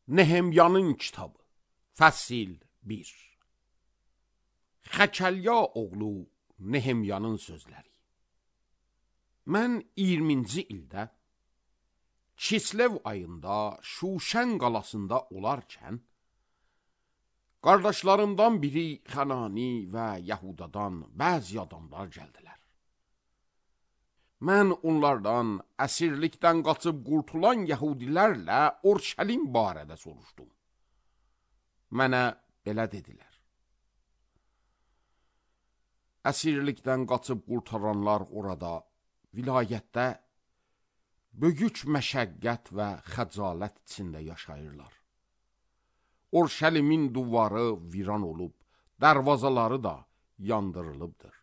Nehemyanın kitabı Fəsil 1. Xəkəlya oğlu Nehemyanın sözləri. Mən 20-ci ildə Kislev ayında Şuşən qalasında olarkən, qardaşlarımdan biri Xanani və Yahudadan bəzi adamlar gəldilər. Mən onlardan əsirlikdən qaçıb qurtulan Yahudilərlə Orşəlim barədə soruşdum. Mənə belə dedilər: əsirlikdən qaçıb qurtaranlar orada, vilayətdə böyük məşəqqət və xəcalət içində yaşayırlar. Orşəlimin duvarı viran olub, dərvazaları da yandırılıbdır.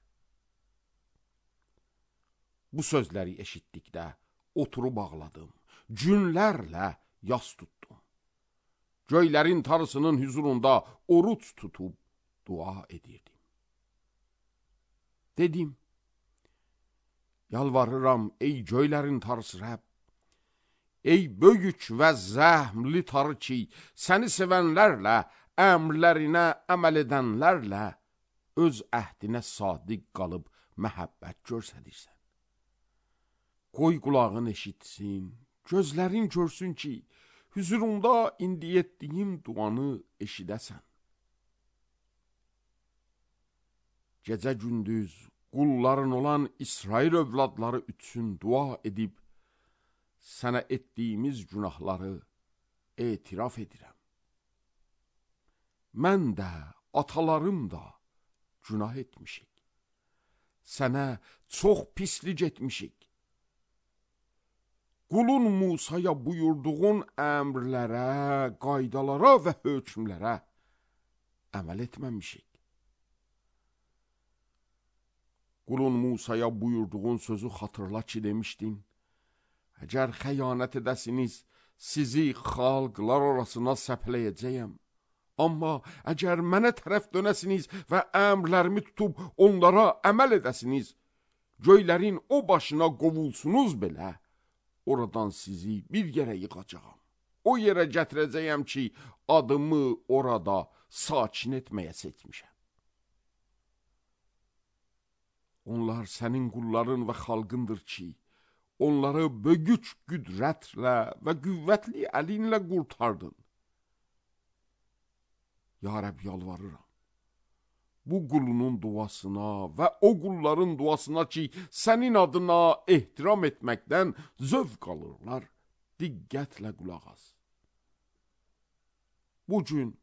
Bu sözləri eşitdikdə oturub ağladım, günlərlə yas tutdum. Göylərin Tanrısının hüzurunda oruç tutub dua edirdim. Dedim: yalvarıram ey göylərin Tanrısı Rəbb, ey böyük və zəhmli Tanrı ki, səni sevənlərlə, əmrlərinə əməl edənlərlə öz əhdinə sadiq qalıb məhəbbət göstərirsən. Qoy qulağın eşitsin, gözlərin görsün ki, hüzurunda indi etdiyim duanı eşidəsən. Gecə gündüz qulların olan İsrail övladları üçün dua edib, sənə etdiyimiz günahları etiraf edirəm. Mən də, atalarım da günah etmişik. Sənə çox pislik etmişik. Qulun Musaya buyurduğun əmrlərə, qaydalara və hökmlərə əməl etməmişik. Qulun Musaya buyurduğun sözü xatırla ki, demişdin: əgər xəyanət edəsiniz, sizi xalqlar arasına səpləyəcəyəm. Amma əgər mənə tərəf dönəsiniz və əmrlərimi tutub onlara əməl edəsiniz, göylərin o başına qovulsunuz belə, oradan sizi bir yerə yığacağam. O yerə gətirəcəyəm ki, adımı orada sakin etməyə seçmişəm. Onlar sənin qulların və xalqındır ki, onları böyük qüdrətlə və qüvvətli əlinlə qurtardın. Ya Rəbb, yalvarıram, bu qulunun duasına və o qulların duasına ki, sənin adına ehtiram etməkdən zövq alırlar, diqqətlə qulaq as. Bugün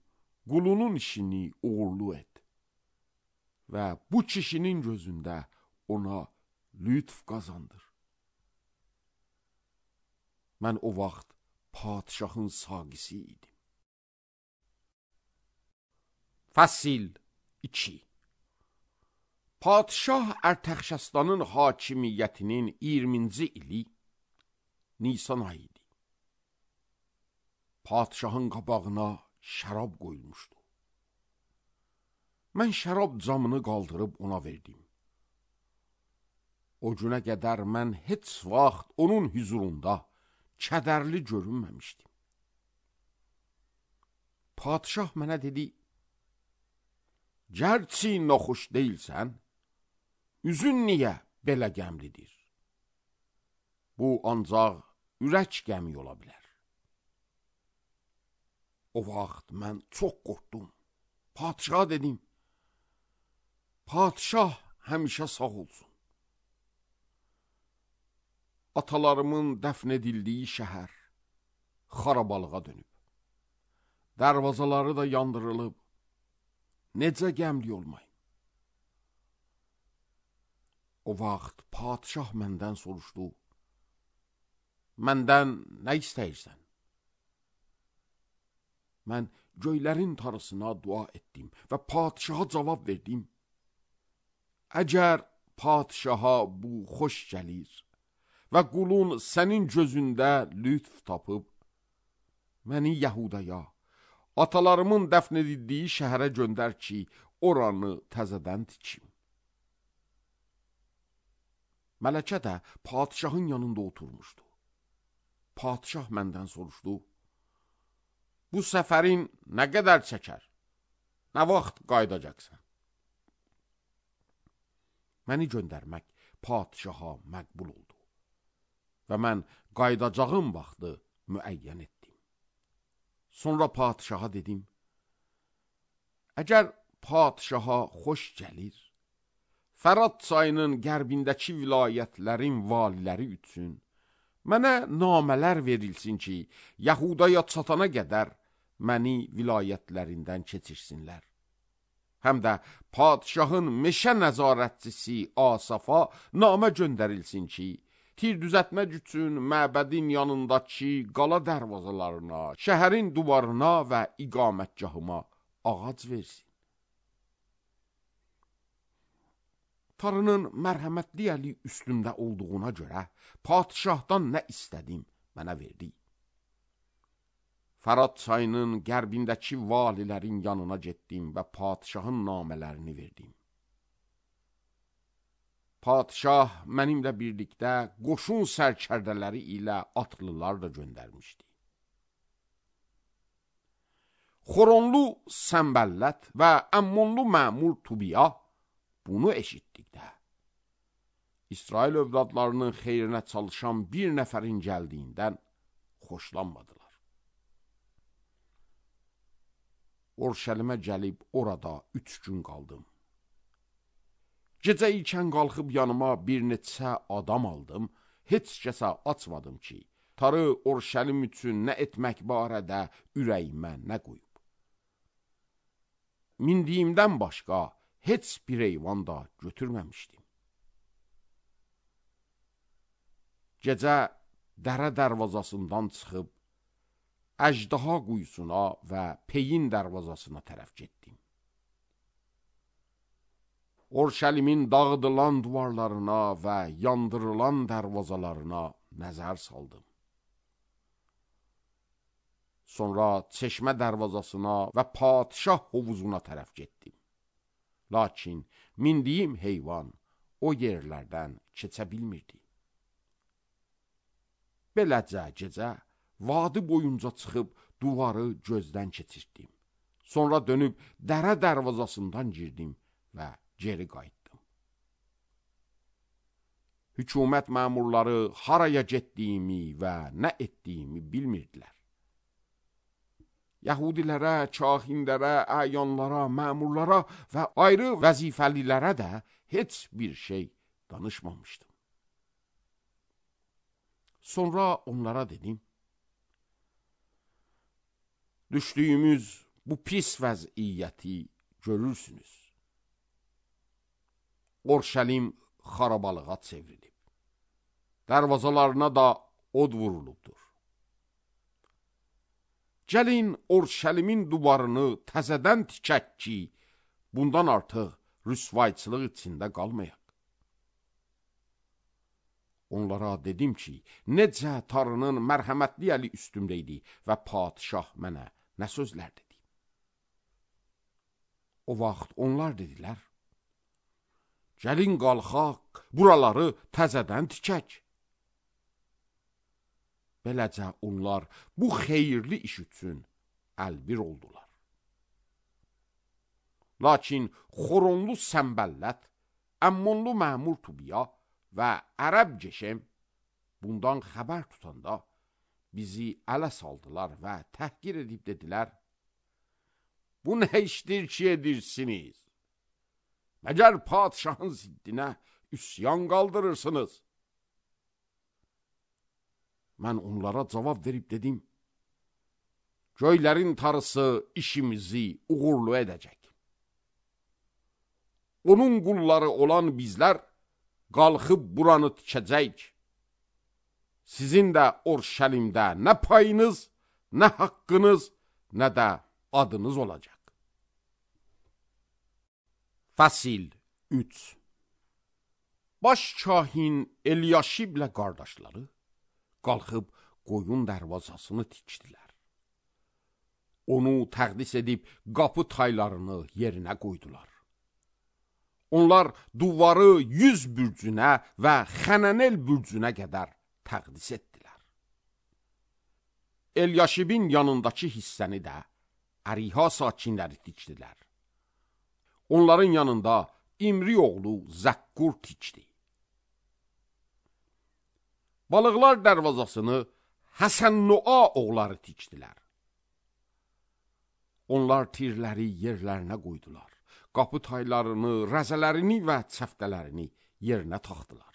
qulunun işini uğurlu et və bu kişinin gözündə ona lütf qazandır. Mən o vaxt padişahın saqisi idim. Fəsil 2. Padişah Ərtəxşəstanın hakimiyyətinin 20-ci ili Nisan ayı idi. Padişahın qabağına şərab qoyulmuşdu. Mən şərab camını qaldırıb ona verdim. O günə qədər mən heç vaxt onun hüzurunda kədərli görünməmişdim. Padişah mənə dedi: gərçi naxoş deyilsən, üzün niyə belə qəmlidir? Bu ancaq ürək qəmi ola bilər. O vaxt mən çox qorxdum. Padişaha dedim: padişah həmişə sağ olsun. Atalarımın dəfn edildiyi şəhər xarabalığa dönüb. Dərvazaları da yandırılıb. Necə qəmli olmayım? O vaxt padişah məndən soruşdu: məndən nə istəyirsən? Mən göylərin Tanrısına dua etdim və padişaha cavab verdim: əgər padişaha bu xoş gəlir və qulun sənin gözündə lütf tapıb, məni Yahudaya, atalarımın dəfn edildiyi şəhərə göndər ki, oranı təzədən tikim. Mələkə də padişahın yanında oturmuşdu. Padişah məndən soruşdu: bu səfərin nə qədər çəkər? Nə vaxt qaydacaqsan? Məni göndərmək padişaha məqbul oldu və mən qaydacağım vaxtı müəyyən etdim. Sonra padişaha dedim, əgər padişaha xoş gəlir, Fərat çayının qərbindəki vilayətlərin valiləri üçün mənə namələr verilsin ki, Yəhudaya çatana qədər məni vilayətlərindən keçirsinlər. Həm də padişahın meşə nəzarətçisi Asafa namə göndərilsin ki, tir düzətmək üçün məbədin yanındakı qala dərvazalarına, şəhərin duvarına və iqamətgahıma ağac versin. Tanrının mərhəmətli əli üstümdə olduğuna görə padişahdan nə istədim, mənə verdi. Fərat çayının qərbindəki valilərin yanına getdim və padişahın namələrini verdim. Padişah mənimlə birlikdə qoşun sərkərdələri ilə atlılar da göndərmişdi. Xoronlu Səmbəllət və Əmmonlu məmur Tubiya bunu eşitdikdə, İsrail övladlarının xeyrinə çalışan bir nəfərin gəldiyindən xoşlanmadılar. Orşəlimə gəlib orada 3 gün qaldım. Gecə ikən qalxıb yanıma bir neçə adam aldım, heç kəsə açmadım ki, tarı Orşəlim üçün nə etmək barədə ürəyimə nə qoyub. Mindiyimdən başqa heç bir heyvan da götürməmişdim. Gecə dərə dərvazasından çıxıb, Əjdaha quyusuna və Peyin dərvazasına tərəf getdim. Orşəlimin dağıdılan duvarlarına və yandırılan dərvazalarına nəzər saldım. Sonra çeşmə dərvazasına və padişah hovuzuna tərəf getdim. Lakin mindiyim heyvan o yerlərdən keçə bilmirdi. Beləcə gecə vadi boyunca çıxıb duvarı gözdən keçirtdim. Sonra dönüb dərə dərvazasından girdim və geri qayıtdım. Hükümət məmurları haraya getdiyimi və nə etdiyimi bilmirdilər. Yəhudilərə, kahinlərə, əyanlara, məmurlara və ayrı vəzifəlilərə də heç bir şey danışmamışdım. Sonra onlara dedim, düşdüyümüz bu pis vəziyyəti görürsünüz. Orşəlim xarabalığa çevrilib. Dərvazalarına da od vurulubdur. Gəlin Orşəlimin duvarını təzədən tikək ki, bundan artıq rüsvayçılıq içində qalmayaq. Onlara dedim ki, necə Tanrının mərhəmətli əli üstümdə idi və padişah mənə nə sözlər dedi. O vaxt onlar dedilər, gəlin qalxaq, buraları təzədən tikək. Beləcə onlar bu xeyirli iş üçün əlbir oldular. Lakin Xoronlu Səmbəllət, Əmmonlu məmur Tubiya və Ərəb Geşem bundan xəbər tutanda bizi ələ saldılar və təhqir edib dedilər, bu nə işdir ki edirsiniz? Məgər padişahın ziddinə üsyan qaldırırsınız? Mən onlara cavab verib dedim, göylərin tarısı işimizi uğurlu edəcək. Onun qulları olan bizlər qalxıb buranı tikəcək. Sizin də Orşəlimdə nə payınız, nə haqqınız, nə də adınız olacaq. Fəsil 3. Baş kahin Elyaşiblə qardaşları qalxıb qoyun dərvazasını tikdilər. Onu təqdis edib qapı taylarını yerinə qoydular. Onlar duvarı 100 bürcünə və Xənənel bürcünə qədər təqdis etdilər. Elyaşibin yanındakı hissəni də Əriha sakinləri tikdilər. Onların yanında İmri oğlu Zəkkur tikdi. Balıqlar dərvazasını Həsən-Nua oğulları tikdilər. Onlar tirləri yerlərinə qoydular. Qapı taylarını, rəzələrini və çəftələrini yerinə taxdılar.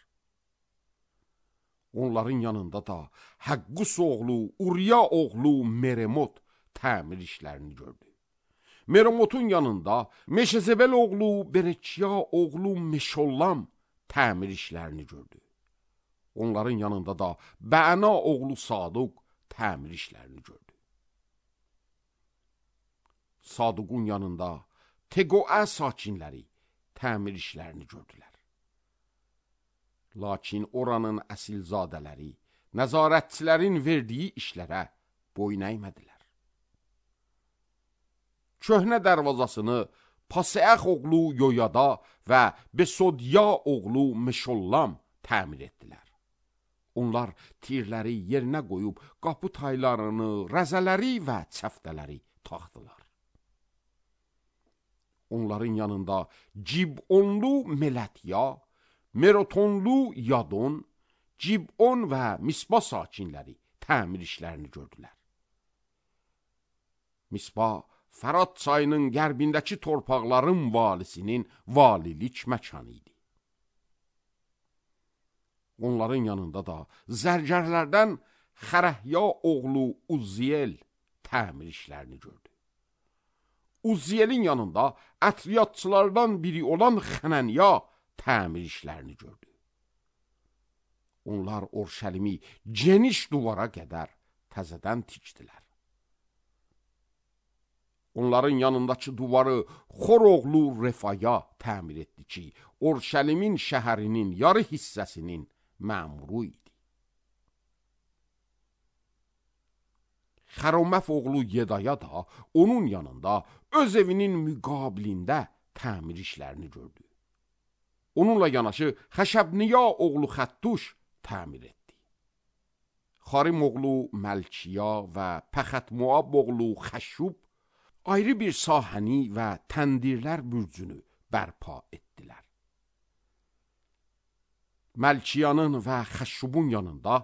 Onların yanında da Həqqus oğlu, Uriya oğlu Meremot təmir işlərini gördü. Meremotun yanında Meşezebel oğlu Berekiya oğlu Meşollam təmir işlərini gördü. Onların yanında da Bəna oğlu Saduq təmir işlərini gördü. Saduqun yanında Teqoə sakinləri təmir işlərini gördülər. Lakin oranın əsilzadələri nəzarətçilərin verdiyi işlərə boyun əymədilər. Köhnə dərvazasını Paseəx oğlu Yoyada və Besodya oğlu Meşollam təmir etdilər. Onlar tirləri yerinə qoyub qapı taylarını, rəzələri və çəftələri taxdılar. Onların yanında Cibonlu Melətya, Merotonlu Yadon, Cibon və Mispa sakinləri təmir işlərini gördülər. Mispa, Fərat çayının qərbindəki torpaqların valisinin valilik məkanı idi. Onların yanında da zərgərlərdən Xərəhya oğlu Uzziyel təmir işlərini gördü. Uzziyelin yanında ətriyatçılardan biri olan Xənənya təmir işlərini gördü. Onlar Orşəlimi geniş duvara qədər təzədən tikdilər. Onların yanındakı duvarı Xor oğlu Refaya təmir etdi ki, Orşəlimin şəhərinin yarı hissəsinin məmuru idi. Xəroməf oğlu Yedaya da onun yanında öz evinin müqabilində təmir işlərini gördü. Onunla yanaşı Xəşəbniya oğlu Xəttuş təmir etdi. Xarim oğlu Məlkiya və Pəxətmuab oğlu Xəşub ayrı bir sahəni və təndirlər bürcünü bərpa etdilər. Məlkiyanın və Xəşubun yanında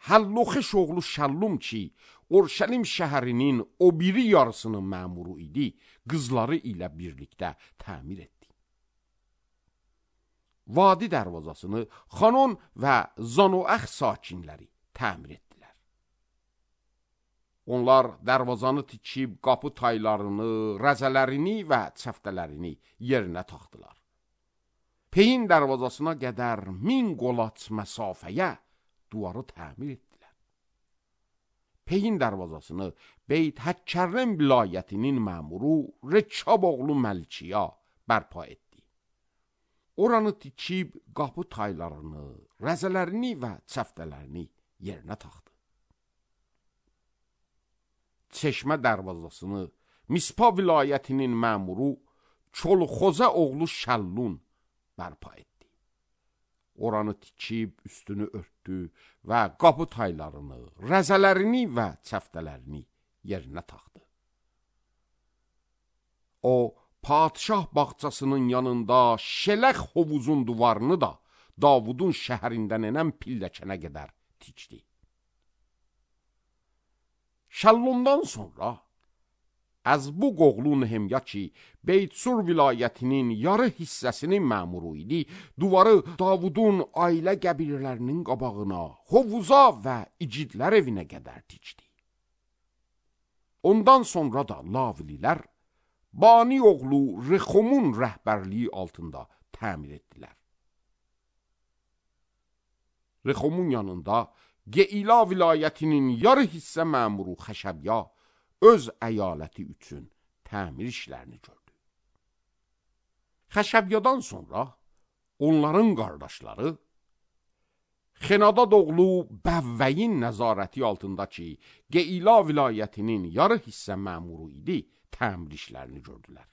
Həlloxeş oğlu Şəllum ki, Orşəlim şəhərinin o biri yarısının məmuru idi, qızları ilə birlikdə təmir etdi. Vadi dərvazasını Xanon və Zanoəx sakinləri təmir etdilər. Onlar dərvazanı tikib qapı taylarını, rəzələrini və çəftələrini yerinə taxdılar. Peyin dərvazasına qədər 1000 qolaç məsafəyə duvarı təmir etdilər. Peyin dərvazasını Beyt Həkkərrəm vilayətinin məmuru Rəkkab oğlu Məlkiya bərpa etdi. Oranı tikib qapı taylarını, rəzələrini və çəftələrini yerinə taxdı. Çeşmə dərvazasını Mispa vilayətinin məmuru Çolxoza oğlu Şəllun bərpa etdi. Oranı tikib üstünü örtdü və qapı taylarını, rəzələrini və çəftələrini yerinə taxdı. O, padişah bağçasının yanında Şələx hovuzun duvarını da Davudun şəhərindən enən pilləkənə qədər tikdi. Şəllundan sonra Əzbuq oğlu Nehemya ki, Beytsur vilayətinin yarı hissəsinin məmuru idi, duvarı Davudun ailə qəbillərinin qabağına, hovuza və icidlər evinə qədər tikdi. Ondan sonra da Lavlilər Bani oğlu Rexomun rəhbərliyi altında təmir etdilər. Rexomun yanında Geila vilayətinin yarı hissə məmuru Xəşəbya öz əyaləti üçün təmir işlərini gördü. Xəşəbyadan sonra onların qardaşları Xenadad oğlu Bəvvəyin nəzarəti altındakı Geila vilayətinin yarı hissə məmuru idi, təmir işlərini gördülər.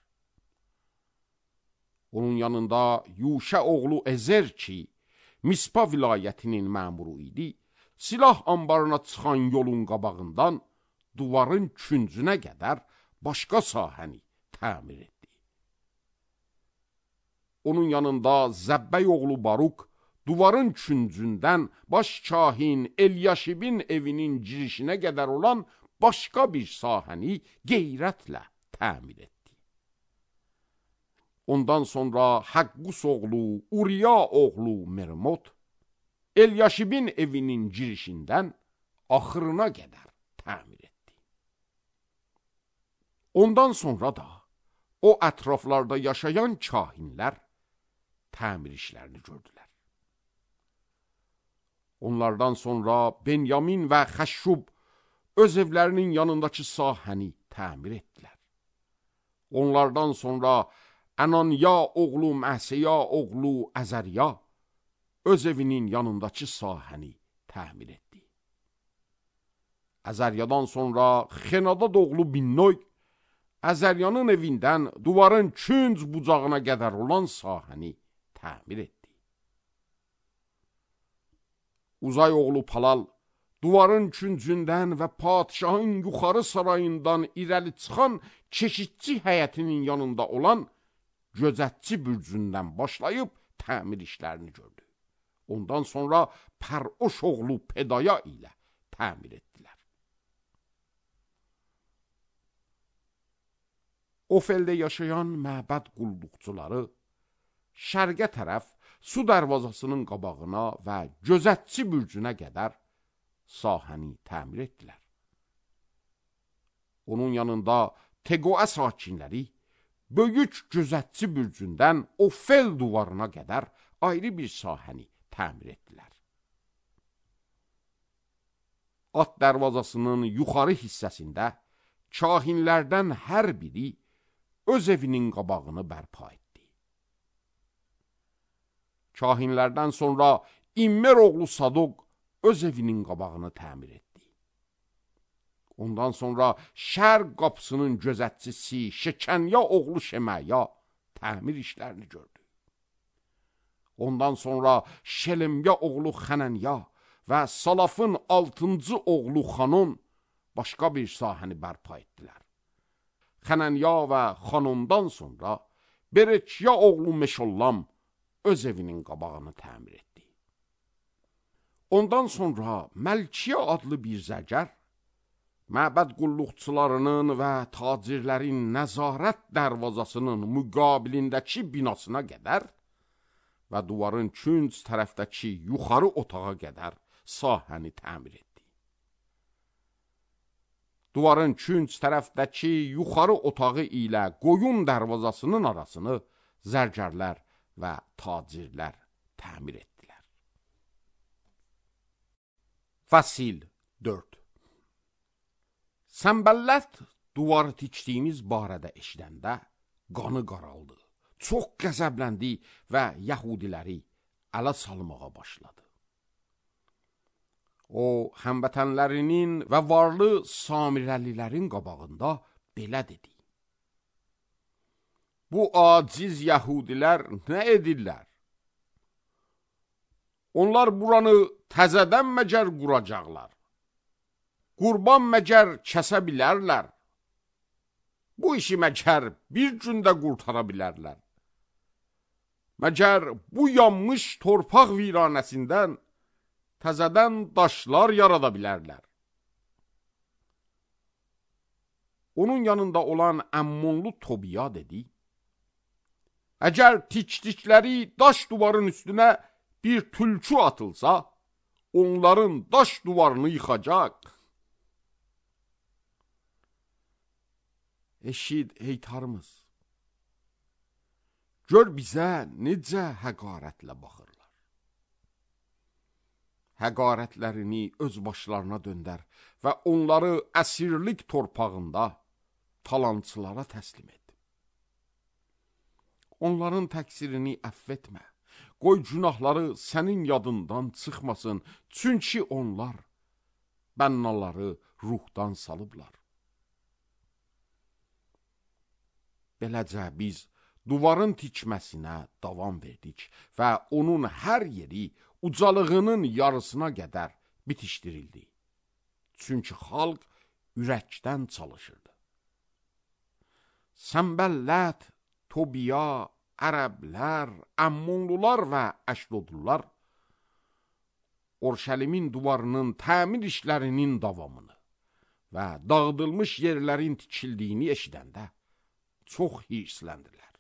Onun yanında Yuşə oğlu Ezer ki, Mispa vilayətinin məmuru idi, silah anbarına çıxan yolun qabağından duvarın küncünə qədər başqa sahəni təmir etdi. Onun yanında Zəbbək oğlu Baruq duvarın küncündən baş kahin Elyaşibin evinin girişinə qədər olan başqa bir sahəni qeyrətlə təmir etdi. Ondan sonra Həqqus oğlu Uriya oğlu Mermot Elyaşibin evinin girişindən axırına qədər təmir etdi. Ondan sonra da o ətraflarda yaşayan kahinlər təmir işlərini gördülər. Onlardan sonra Benyamin və Xəşşub öz evlərinin yanındakı sahəni təmir etdilər. Onlardan sonra Ənaniya oğlu Məsəya oğlu Əzəriya öz evinin yanındakı sahəni təmir etdi. Əzəriyadan sonra Xenadad oğlu Binnoy Əzəriyanın evindən duvarın künc bucağına qədər olan sahəni təmir etdi. Uzay oğlu Palal duvarın küncündən və padişahın yuxarı sarayından irəli çıxan keşikçi həyətinin yanında olan gözətçi bürcündən başlayıb təmir işlərini gördü. Ondan sonra Pəroş oğlu Pedaya ilə təmir etdilər. Ofəldə yaşayan məbəd qulluqçuları şərqə tərəf su dərvazasının qabağına və gözətçi bürcünə qədər sahəni təmir etdilər. Onun yanında Teqoə sakinləri böyük gözətçi bürcündən Ofel duvarına qədər ayrı bir sahəni təmir etdilər. At dərvazasının yuxarı hissəsində kahinlərdən hər biri öz evinin qabağını bərpa etdi. Kahinlərdən sonra İmmer oğlu Sadoq öz evinin qabağını təmir etdi. Ondan sonra şərq qapısının gözətçisi Şekənya oğlu Şeməya təmir işlərini gördü. Ondan sonra Şelemya oğlu Xənənya və Salafın 6-cı oğlu Xanon başqa bir sahəni bərpa etdilər. Xənənya və Xanondan sonra Bereçya oğlu Meşollam öz evinin qabağını təmir etdi. Ondan sonra Məlkiyə adlı bir zərgər məbəd qulluqçularının və tacirlərin nəzarət dərvazasının müqabilindəki binasına qədər və duvarın künc tərəfdəki yuxarı otağa qədər sahəni təmir etdi. Duvarın künc tərəfdəki yuxarı otağı ilə qoyun dərvazasının arasını zərgərlər və tacirlər təmir etdilər. Fəsil 4. Səmbəllət duvarı tikdiyimiz barədə eşidəndə qanı qaraldı. Çox qəzəbləndi və yəhudiləri ələ salmağa başladı. O, həmvətənlərinin və varlı Samirəlilərin qabağında belə dedi: Bu aciz yəhudilər nə edirlər? Onlar buranı təzədən məcər quracaqlar. Qurban məcər kəsə bilərlər. Bu işi məcər bir gündə qurtara bilərlər. Məcər bu yanmış torpaq viranəsindən təzədən daşlar yarada bilərlər. Onun yanında olan Əmmonlu Tobiya dedi: Əgər tikdikləri daş duvarın üstünə bir tülkü atılsa, onların daş duvarını yıxacaq. Eşid heytarımız, gör bizə necə həqarətlə baxırlar. Həqarətlərini öz başlarına döndər və onları əsirlik torpağında talançılara təslim et. Onların təqsirini əfv etmə, qoy günahları sənin yadından çıxmasın, çünki onlar bənnaları ruhdan salıblar. Beləcə biz duvarın tikməsinə davam verdik və onun hər yeri ucalığının yarısına qədər bitişdirildi. Çünki xalq ürəkdən çalışırdı. Səmbəllər, Tobiya, Ərəblər, Əmmonlular və Əşdodlular Orşəlimin divarının təmir işlərinin davamını və dağıdılmış yerlərin tikildiyini eşidəndə çox hirsləndilər.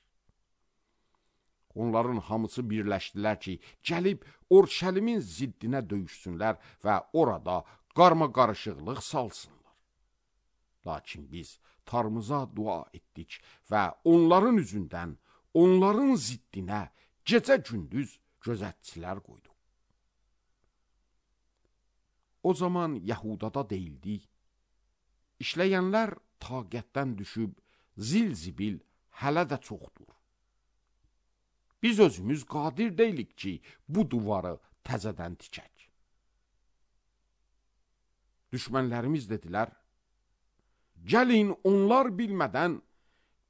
Onların hamısı birləşdilər ki, gəlib Orşəlimin ziddinə döyüşsünlər və orada qarma-qarışıqlıq salsınlar. Lakin biz Tanrımıza dua etdik və onların üzündən, onların ziddinə gecə-gündüz gözətçilər qoyduq. O zaman Yahudada deyildi, işləyənlər taqətdən düşüb, zil-zibil hələ də çoxdur. Biz özümüz qadir deyilik ki, bu divarı təzədən tikək. Düşmənlərimiz dedilər, gəlin onlar bilmədən,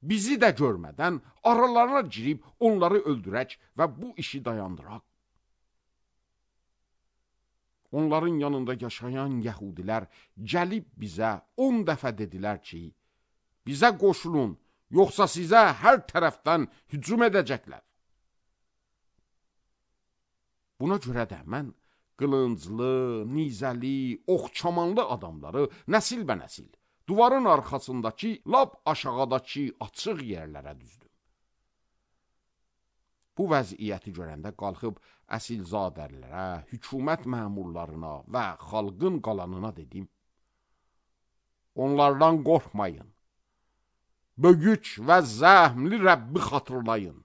bizi də görmədən aralarına girib onları öldürək və bu işi dayandıraq. Onların yanında yaşayan Yəhudilər gəlib bizə 10 dəfə dedilər ki, bizə qoşulun, yoxsa sizə hər tərəfdən hücum edəcəklər. Buna görə də mən qılınclı, nizəli, oxçamanlı adamları nəsil-bənəsil divarın arxasındakı, lap aşağıdakı açıq yerlərə düzdüm. Bu vəziyyəti görəndə qalxıb əsilzadələrə, hökumət məmurlarına və xalqın qalanına dedim, onlardan qorxmayın, böyük və zəhmli Rəbbi xatırlayın.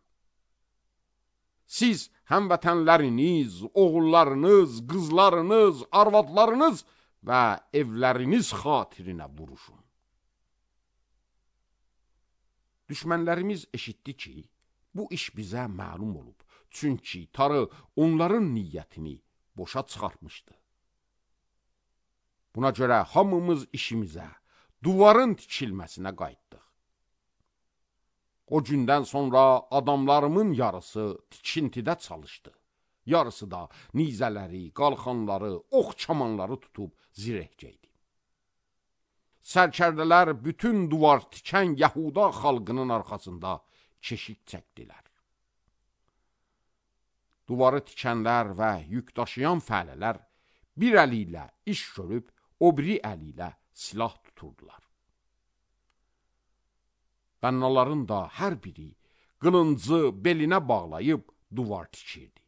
Siz həmvətənləriniz, oğullarınız, qızlarınız, arvadlarınız və evləriniz xatirinə vuruşun. Düşmənlərimiz eşitdi ki, bu iş bizə məlum olub. Çünki Tanrı onların niyyətini boşa çıxartmışdı. Buna görə hamımız işimizə, divarın tikilməsinə qayıtdıq. O gündən sonra adamlarımın yarısı tikintidə çalışdı. Yarısı da nizələri, qalxanları, oxçamanları tutub zirehgəydi. Sərkərdələr bütün divar tikən Yahuda xalqının arxasında keşik çəkdilər. Divarı tikənlər və yük daşıyan fəhlələr bir əli ilə iş görüb, o biri əli ilə silah tuturdular. Bənnaların da hər biri qılıncı belinə bağlayıb divar tikirdi.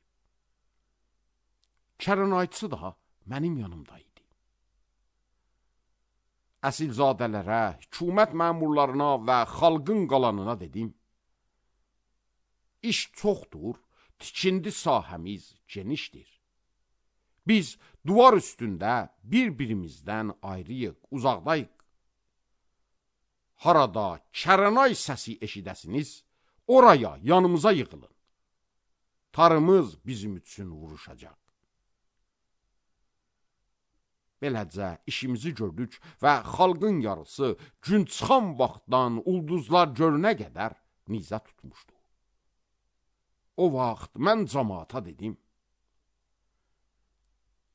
Kərənayçı da mənim yanımdaydı. Əsilzadələrə, hökumət məmurlarına və xalqın qalanına dedim, İş çoxdur, tikindi sahəmiz genişdir. Biz divar üstündə bir-birimizdən ayrıyıq, uzaqdayıq. Harada kərənay səsi eşidəsiniz, oraya yanımıza yığılın. Tanrımız bizim üçün vuruşacaq. Beləcə işimizi gördük və xalqın yarısı gün çıxan vaxtdan ulduzlar görünə qədər nizə tutmuşdu. O vaxt mən cəmaata dedim,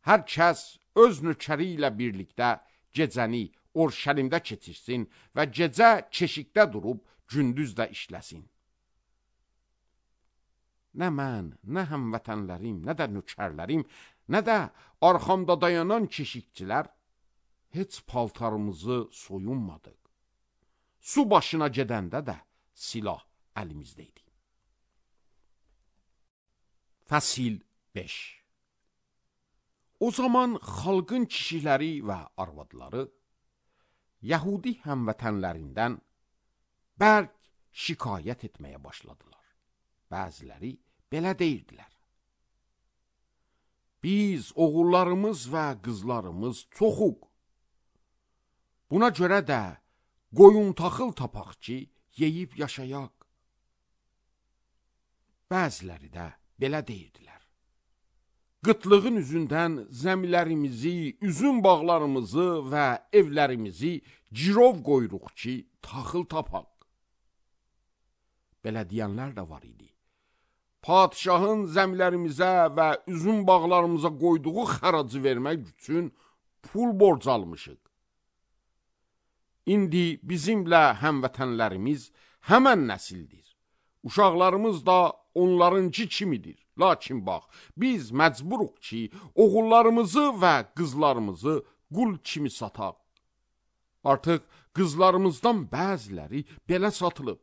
hər kəs öz nökəri ilə birlikdə gecəni Orşəlimdə keçirsin və gecə keşikdə durub gündüz də işləsin. Nə mən, nə həmvətənlərim, nə də nökərlərim, nə də arxamda dayanan keşikçilər heç paltarımızı soyunmadıq. Su başına gedəndə də silah əlimizdəydi. Fəsil 5. O zaman xalqın kişiləri və arvadları Yəhudi həmvətənlərindən bərk şikayət etməyə başladılar. Bəziləri belə deyirdilər. Biz oğullarımız və qızlarımız çoxuq. Buna görə də qoyun taxıl tapaq ki, yeyib yaşayaq. Bəziləri də belə deyirdilər. Qıtlığın üzündən zəmilərimizi, üzüm bağlarımızı və evlərimizi girov qoyuruq ki, taxıl tapaq. Belə deyənlər də var idi. padişahın zəmilərimizə və üzüm bağlarımıza qoyduğu xəracı vermək üçün pul borc almışıq. İndi bizimlə həmvətənlərimiz həmən nəsildir. Uşaqlarımız da onlarınki kimidir. Lakin bax, biz məcburuq ki, oğullarımızı və qızlarımızı qul kimi sataq. Artıq qızlarımızdan bəziləri belə satılıb.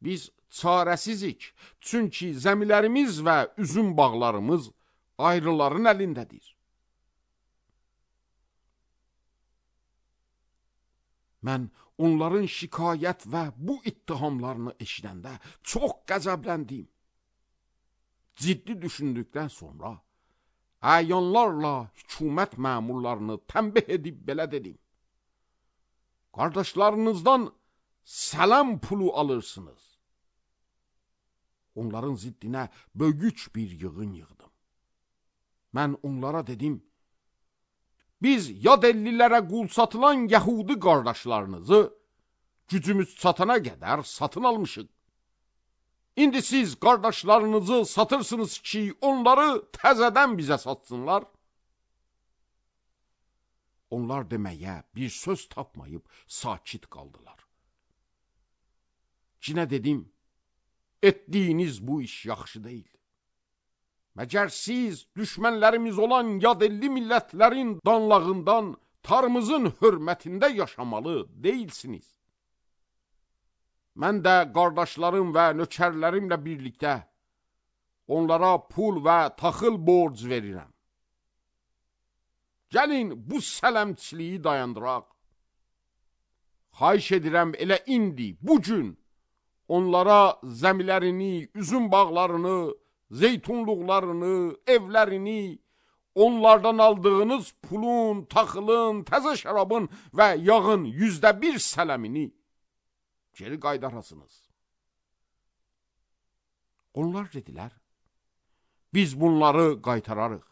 Biz çarəsizik, çünki zəmilərimiz və üzüm bağlarımız ayrıların əlindədir. Mən onların şikayət və bu ittihamlarını eşidəndə çox qəzəbləndim. Ciddi düşündükdən sonra əyanlarla hökumət məmurlarını tənbih edib belə dedim. Qardaşlarınızdan sələm pulu alırsınız. Onların ziddinə böyük bir yığın yığdım. Mən onlara dedim, biz yad ellilərə qul satılan Yəhudi qardaşlarınızı gücümüz çatana qədər satın almışıq. İndi siz qardaşlarınızı satırsınız ki, onları təzədən bizə satsınlar. Onlar deməyə bir söz tapmayıb sakit qaldılar. Cinə dedim, etdiyiniz bu iş yaxşı deyil. Məgər siz düşmənlərimiz olan yad elli millətlərin danlağından tarımızın hörmətində yaşamalı deyilsiniz. Mən də qardaşlarım və nökərlərimlə birlikdə onlara pul və taxıl borc verirəm. Gəlin bu sələmçiliyi dayandıraq. Xahiş edirəm elə indi, bugün onlara zəmilərini, üzüm bağlarını, zeytunluqlarını, evlərini, onlardan aldığınız pulun, taxılın, təzə şərabın və yağın 100% sələmini geri qaydarasınız. Onlar dedilər, biz bunları qaytararıq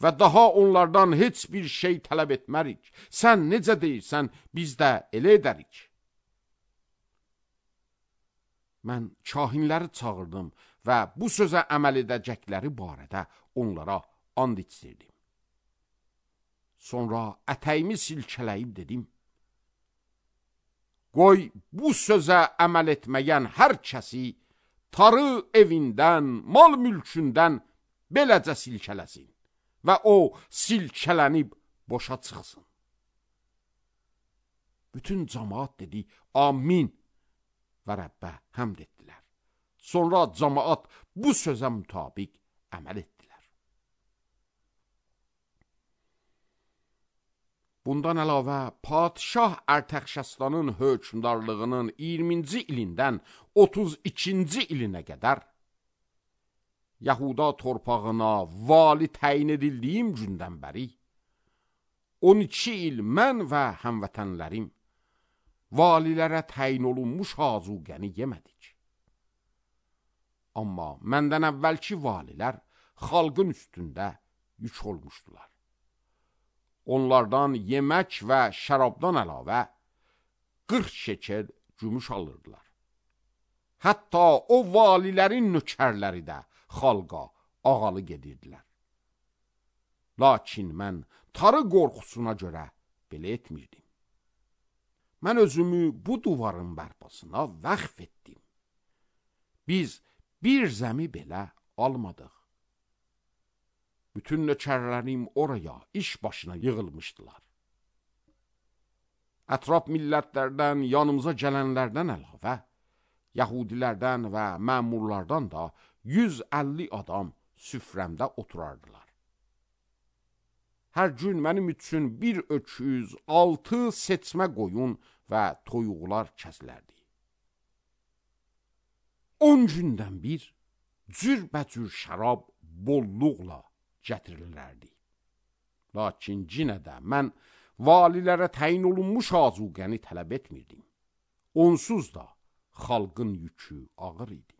və daha onlardan heç bir şey tələb etmərik. Sən necə deyirsən, biz də elə edərik. Mən kahinləri çağırdım və bu sözə əməl edəcəkləri barədə onlara and içdirdim. Sonra ətəyimi silkələyib dedim, qoy bu sözə əməl etməyən hər kəsi tarı evindən, mal mülkündən beləcə silkələsin və o silkələnib boşa çıxsın. Bütün cəmaat dedi, amin və Rəbbə həmd etdilər. Sonra cəmaat bu sözə mütabiq əməl etdilər. Bundan əlavə, Padişah Ərtəxşəstanın hökmdarlığının 20-ci ilindən 32-ci ilinə qədər Yahuda torpağına vali təyin edildiyim gündən bəri 12 il mən və həmvətənlərim valilərə təyin olunmuş azuqəni yemədik. Amma məndən əvvəlki valilər xalqın üstündə yük olmuşdular. Onlardan yemək və şərabdan əlavə 40 şekel gümüş alırdılar. Hətta o valilərin nökərləri də xalqa ağalı gedirdilər. Lakin mən tarı qorxusuna görə belə etmirdim. Mən özümü bu duvarın bərpasına vəqf etdim. Biz bir zəmi belə almadıq. Bütün nökərlərim oraya iş başına yığılmışdılar. Ətraf millətlərdən yanımıza gələnlərdən əlavə, Yahudilərdən və məmurlardan da 150 adam süfrəmdə oturardılar. Hər gün mənim üçün bir öküz, 6 seçmə qoyun və toyuqlar kəsilərdi. 10 gündən bir cürbəcür şərab bolluqla gətirilərdi. Lakin yenə də mən valilərə təyin olunmuş azuqəni tələb etmirdim. Onsuz da xalqın yükü ağır idi.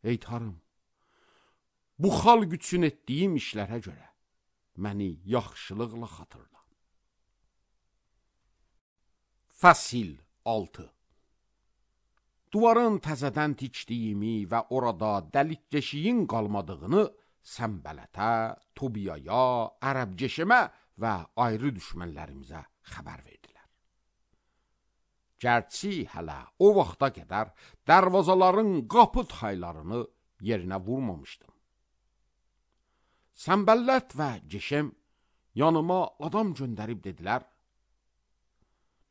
Ey tarım, bu xalq üçün etdiyim işlərə görə məni yaxşılıqla xatırla. Fəsil 6. Duvarın təzədən tikdiyimi və orada dəlik-deşiyin qalmadığını Səmbələtə, Tobiyaya, Ərəbceşimə və ayrı düşmənlərimizə xəbər verdilər. Gərçi hələ o vaxta qədər dərvazaların qapı taylarını yerinə vurmamışdım. Səmbələt və Ceşem yanıma adam göndərib dedilər,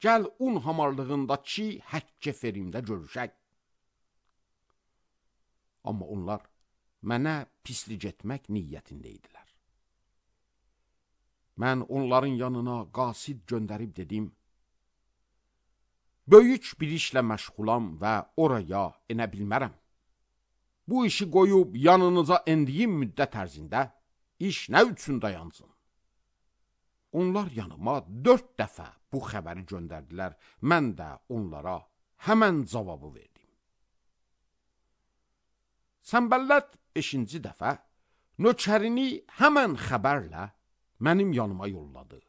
gəl un hamarlığındakı Həkkeferimdə görüşək. Amma onlar mənə pislik etmək niyyətində idilər. Mən onların yanına qasid göndərib dedim, böyük bir işlə məşğulam və oraya enə bilmərəm. Bu işi qoyub yanınıza endiyim müddət ərzində iş nə üçün dayansın? Onlar yanıma 4 dəfə bu xəbəri göndərdilər. Mən də onlara həmən cavabı verdim. Səmbələt 5-ci dəfə nökərini həmən xəbərlə mənim yanıma yolladı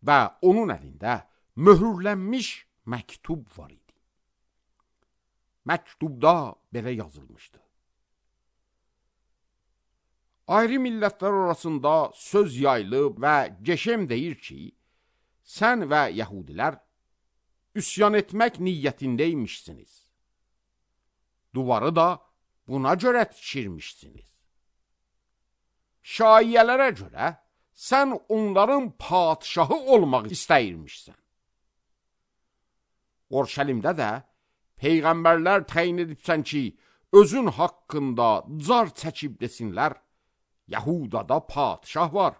və onun əlində möhürlənmiş məktub var idi. Məktubda belə yazılmışdı. Ayrı millətlər arasında söz yayılıb və Ceşem deyir ki, sən və Yəhudilər üsyan etmək niyyətindəymişsiniz. Duvarı da buna görə tikirmişsiniz. Şaiyələrə görə sən onların padişahı olmaq istəyirmişsən. Orşəlimdə də peyğəmbərlər təyin edibsən ki, özün haqqında car çəkib desinlər, Yəhudada padişah var.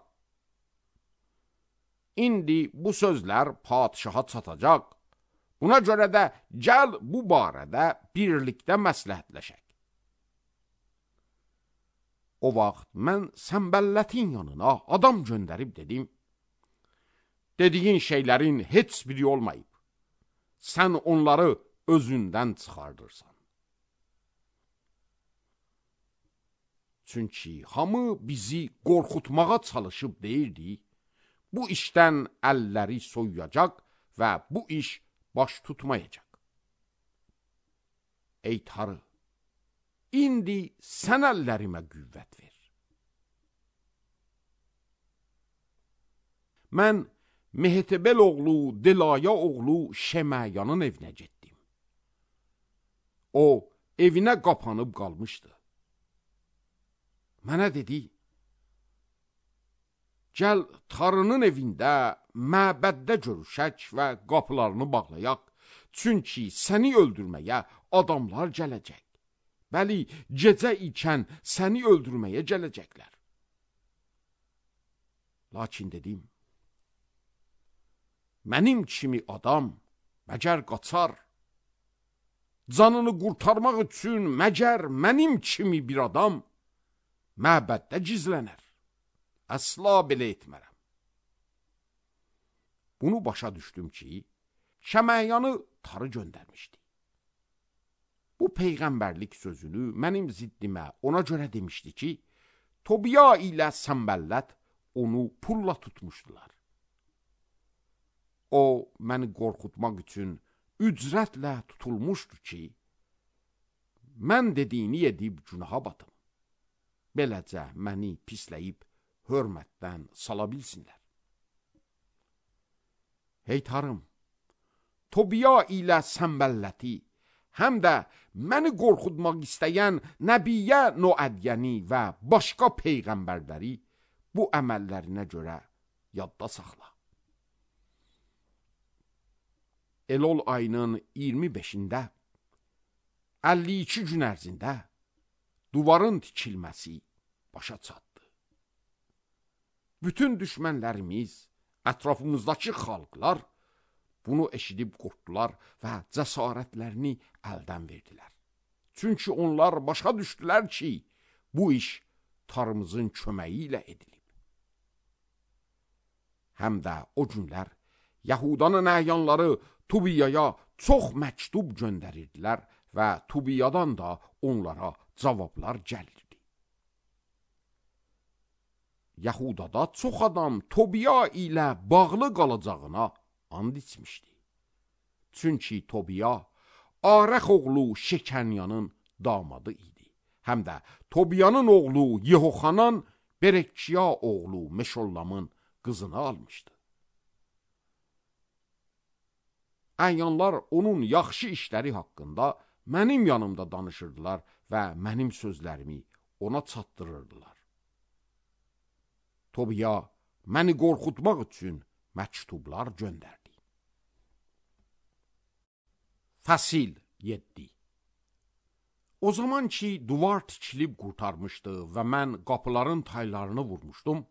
İndi bu sözlər padişaha çatacaq. Buna görə də gəl bu barədə birlikdə məsləhətləşək. O vaxt mən Səmbəllətin yanına adam göndərib dedim, dediyin şeylərin heç biri olmayıb. Sən onları özündən çıxardırsan. Çünki hamı bizi qorxutmağa çalışıb deyirdi, bu işdən əlləri soyuyacaq və bu iş baş tutmayacaq. Ey Tanrı, indi sən əllərimə qüvvət ver. Mən Mehtebel oğlu, Delaya oğlu Şemayanın evinə getdim. O, evinə qapanıb qalmışdı. Mənə dedi, gəl Tanrının evində, məbəddə görüşək və qapılarını bağlayaq, çünki səni öldürməyə adamlar gələcək. Bəli, gecə ikən səni öldürməyə gələcəklər. Lakin dedim, mənim kimi adam məgər qaçar, canını qurtarmaq üçün məgər mənim kimi bir adam məbəddə gizlənər. Əsla belə etmərəm. Bunu başa düşdüm ki, Şəməyanı Tanrı göndərmişdi. Bu peyğəmbərlik sözünü mənim ziddimə ona görə demişdi ki, Tobiya ilə Səmbələt onu pulla tutmuşdular. O, məni qorxutmaq üçün ücrətlə tutulmuşdu ki, mən dediyini edib günaha batım. Beləcə məni pisləyib hörmətdən sala bilsinlər. Ey Tanrım, Tobiya ilə Səmbəlləti, həm də məni qorxutmaq istəyən Nəbiyyə Noədyəni və başqa peyğəmbərləri bu əməllərinə görə yadda saxla. Elol ayının 25-də, 52 gün ərzində duvarın tikilməsi başa çatdı. Bütün düşmənlərimiz, ətrafımızdakı xalqlar bunu eşidib qorxdular və cəsarətlərini əldən verdilər. Çünki onlar başa düşdülər ki, bu iş Tanrımızın köməyi ilə edilib. Həm də o günlər Yahudanın əyanları Tobiyaya çox məktub göndərirdilər və Tobiyadan da onlara cavablar gəlirdi. Yahudada çox adam Tobiya ilə bağlı qalacağına and içmişdi. Çünki Tobiya Arəx oğlu Şekanyanın damadı idi. Həm də Tobiyanın oğlu Yehoxanan Berekçiya oğlu Meşollamın qızını almışdı. Əyanlar onun yaxşı işləri haqqında mənim yanımda danışırdılar və mənim sözlərimi ona çatdırırdılar. Tobiya məni qorxutmaq üçün məktublar göndərdi. Fəsil 7. O zaman ki duvar tikilib qurtarmışdı və mən qapıların taylarını vurmuşdum,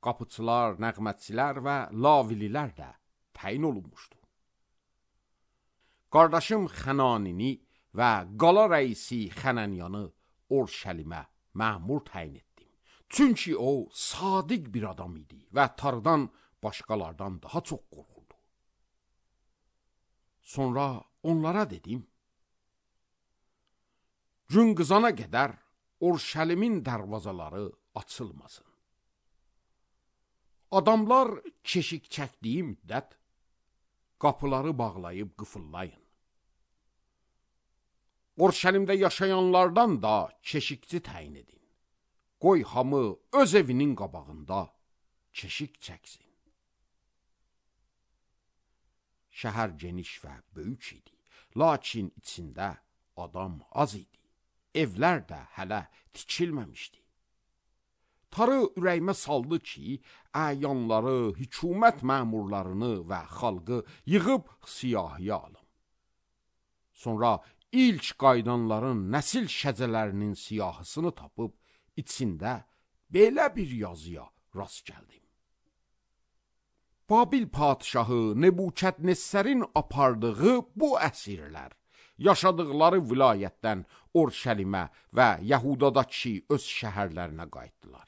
qapıçılar, nəğmətçilər və lavililər də təyin olunmuşdu. Qardaşım Xənanini və qala rəisi Xənənyanı Orşəlimə məmur təyin etdim. Çünki o sadiq bir adam idi və Tardan başqalardan daha çox qorxurdu. Sonra onlara dedim, gün qızana qədər Orşəlimin dərvazaları açılmasın. Adamlar keşik çəkdiyi müddət qapıları bağlayıb qıfıllayın. Orşəlimdə yaşayanlardan da keşikçi təyin edin. Qoy hamı öz evinin qabağında keşik çəksin. Şəhər geniş və böyük idi, lakin içində adam az idi. Evlər də hələ tikilməmişdi. Tarı ürəyimə saldı ki, əyanları, hükümət məmurlarını və xalqı yığıb siyahıya alım. Sonra ilk qaydanların nəsil şəcələrinin siyahısını tapıb, içində belə bir yazıya rast gəldim. Babil padişahı Nebukadnezərin apardığı bu əsirlər, yaşadıqları vilayətdən Orşəlimə və Yəhudadakı öz şəhərlərinə qayıtdılar.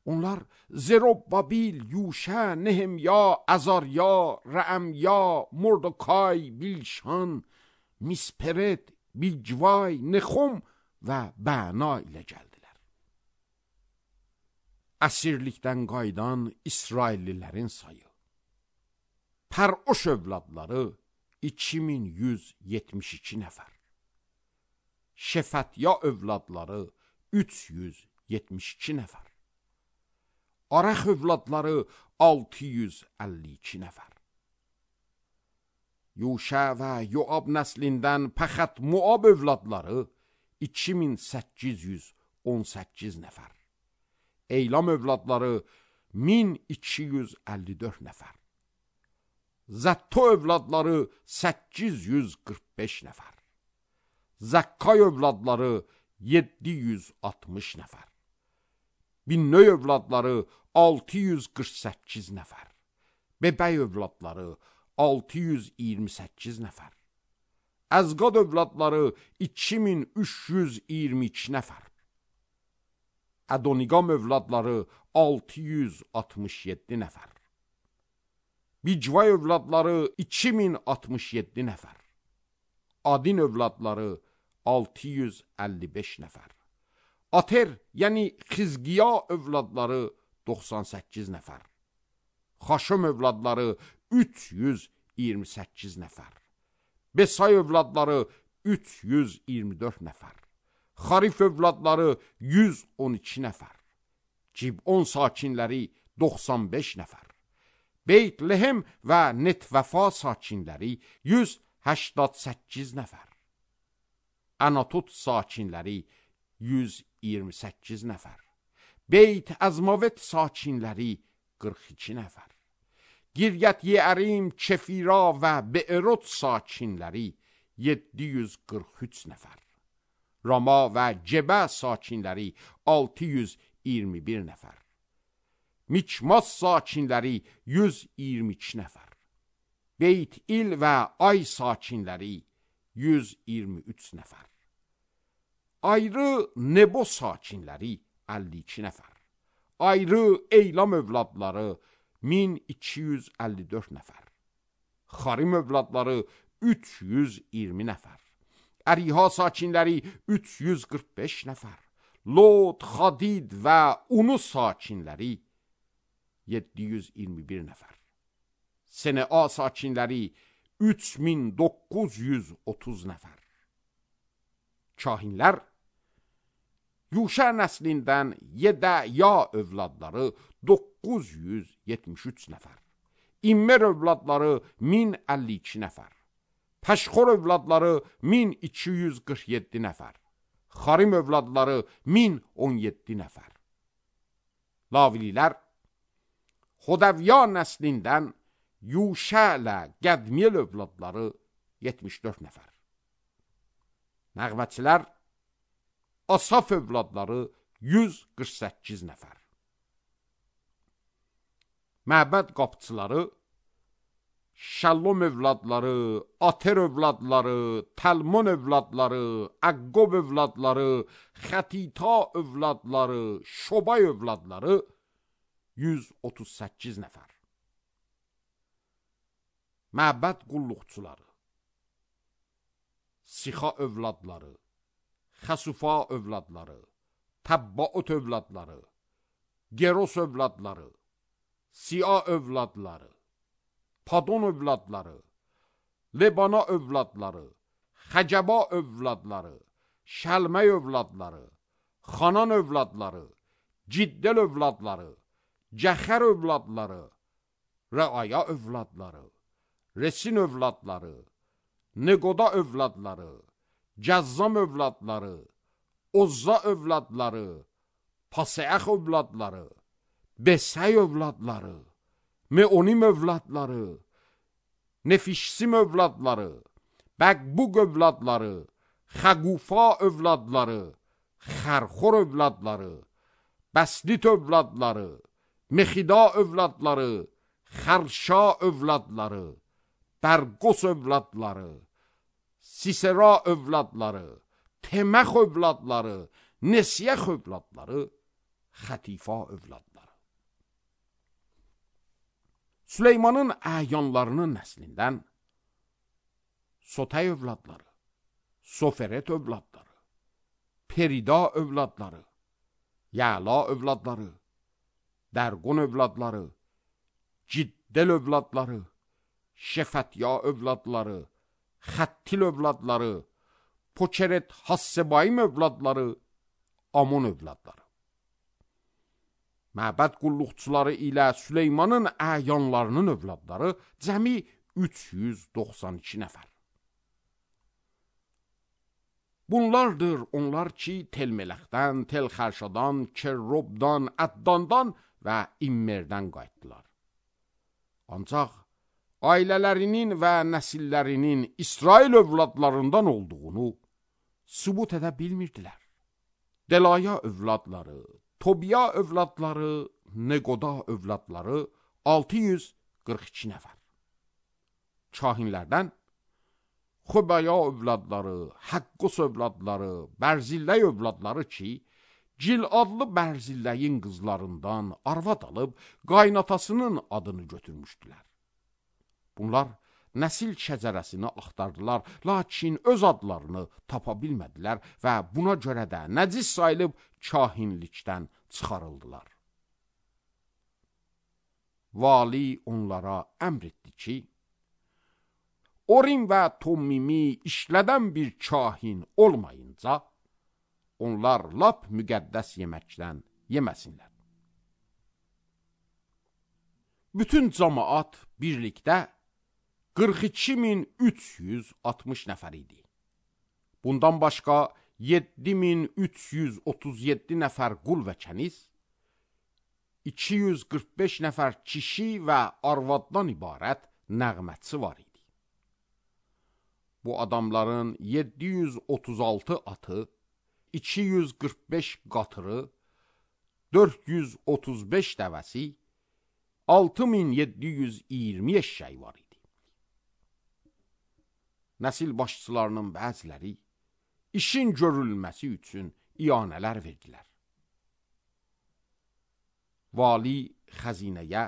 Onlar Zerobbabil, Yuşə, Nehemya, Əzarya, Rəəmya, Mordokay, Bilşan, Misperet, Bigvay, Nexom və Bəna ilə gəldilər. Əsirlikdən qayıdan İsraillilərin sayı Pəroş övladları 2172 nəfər. Şefətya övladları 372 nəfər. Arəx övladları 652 nəfər. Yuşə və Yoab nəslindən Pəxət Moab övladları 2818 nəfər. Eylam övladları 1254 nəfər. Zətto övladları 845 nəfər. Zəkkay övladları 760 nəfər. Binnöy övladları 648 nəfər. Bebəy övladları 628 nəfər. Əzqad övladları 2322 nəfər. Ədoniqam övladları 667 nəfər. Bicvay övladları 2067 nəfər. Adin övladları 655 nəfər. Ater, yəni Xizqiya övladları 98 nəfər. Xaşım övladları 328 nəfər. Besay övladları 324 nəfər. Xarif övladları 112 nəfər. Cibon sakinləri 95 nəfər. Beyt Lehem və Netvəfa sakinləri 188 nəfər. Anatot sakinləri 128 nəfər. Beyt Əzmavet sakinləri 42 nəfər. Giryət Yeərim, Kefira və Be'erot sakinləri 743 nəfər. Rama və Cebə sakinləri 621 nəfər. Mikmas sakinləri 122 nəfər. Beyt İl və Ay sakinləri 123 nəfər. Ayrı Nebo sakinləri 52 nəfər. Ayrı Eylam övladları 1254 nəfər. Xarim övladları 320 nəfər. Əriha sakinləri 345 nəfər. Lod, Xadid və Unu sakinləri 721 nəfər. Senea sakinləri 3930 nəfər. Kahinlər Yuşa nəslindən Yedəya övladları 973 nəfər. İmmer övladları 1052 nəfər. Pəşxor övladları 1247 nəfər. Xarim övladları 1017 nəfər. Lavililər Xodavya nəslindən Yuşa ilə Qədmiel övladları 74 nəfər. Nəğməçilər Asaf övladları 148 nəfər. Məbəd qapıçıları Şallom övladları, Ater övladları, Talmon övladları, Əqqob övladları, Xətita övladları, Şobay övladları 138 nəfər. Məbəd qulluqçuları Sixa övladları, Xəsufa övladları, Təbbaot övladları, Geros övladları, Siya övladları, Padon övladları, Lebana övladları, Xəcəba övladları, Şəlməy övladları, Xanan övladları, Ciddel övladları, Cəxər övladları, Rəaya övladları, Resin övladları, Neqoda övladları, Cəzzam övladları, Ozza övladları, Paseəx övladları, Besəy övladları, Meonim övladları, Nefişsim övladları, Bəqbuq övladları, Xəqufa övladları, Xərxor övladları, Bəslit övladları, Mexida övladları, Xərşa övladları, Bərqos övladları, Sisera övladları, Teməx övladları, Nesiyəx övladları, Xətifa övladları. Süleymanın əyanlarının nəslindən Sotay övladları, Soferet övladları, Perida övladları, Yəla övladları, Dərqon övladları, Ciddel övladları, Şefətya övladları, Xəttil övladları, Poçeret Hassebayim övladları, Amon övladları. Məbəd qulluqçuları ilə Süleymanın əyanlarının övladları cəmi 392 nəfər. Bunlardır onlar ki, Telmələxdən, Telxərşadan, Kerrobdan, Əddandan və İmmerdən qayıtdılar. Ancaq ailələrinin və nəsillərinin İsrail övladlarından olduğunu sübut edə bilmirdilər. Delaya övladları, Tobiya övladları, Neqoda övladları 642 nəfər. Kahinlərdən Xobaya övladları, Həqqos övladları, Bərzilləy övladları ki, Ciladlı Bərzilləyin qızlarından arvad alıb qaynatasının adını götürmüşdülər. Bunlar nəsil şəcərəsini axtardılar, lakin öz adlarını tapa bilmədilər və buna görə də nəcis sayılıb kahinlikdən çıxarıldılar. Vali onlara əmr etdi ki, Orim və Tommimi işlədən bir kahin olmayınca, onlar lap müqəddəs yeməkdən yeməsinlər. Bütün cəmaat birlikdə 42.360 nəfər idi. Bundan başqa 7.337 nəfər qul və kəniz, 245 nəfər kişi və arvaddan ibarət nəğmətçi var idi. Bu adamların 736 atı, 245 qatırı, 435 dəvəsi, 6720 eşşəyi var idi. Nəsil başçılarının bəziləri işin görülməsi üçün iyanələr verdilər. Vali xəzinəyə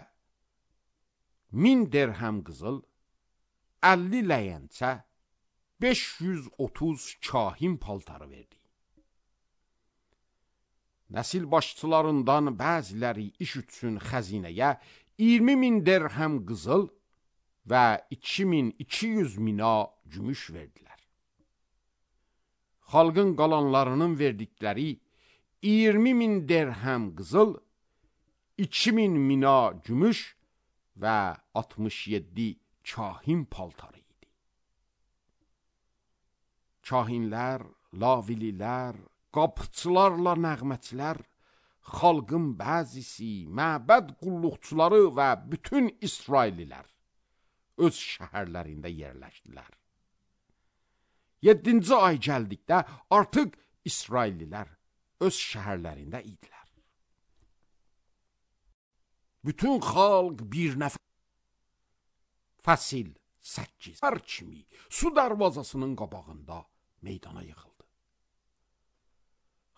1000 dirhəm qızıl, 50 ləyəncə, 530 kahin paltarı verdi. Nəsil başçılarından bəziləri iş üçün xəzinəyə 20.000 dirhəm qızıl, və 2200 mina gümüş verdilər. Xalqın qalanlarının verdikləri 20.000 dirhəm qızıl, 2000 mina gümüş və 67 kahin paltarı idi. Kahinlər, lavililər, qapıçılarla nəğməçilər, xalqın bəzisi, məbəd qulluqçuları və bütün İsraillilər öz şəhərlərində yerləşdilər. 7-ci ay gəldikdə artıq İsraillilər öz şəhərlərində idilər. Bütün xalq bir nəfər Fəsil 8 hər kimi su darvazasının qabağında meydana yığıldı.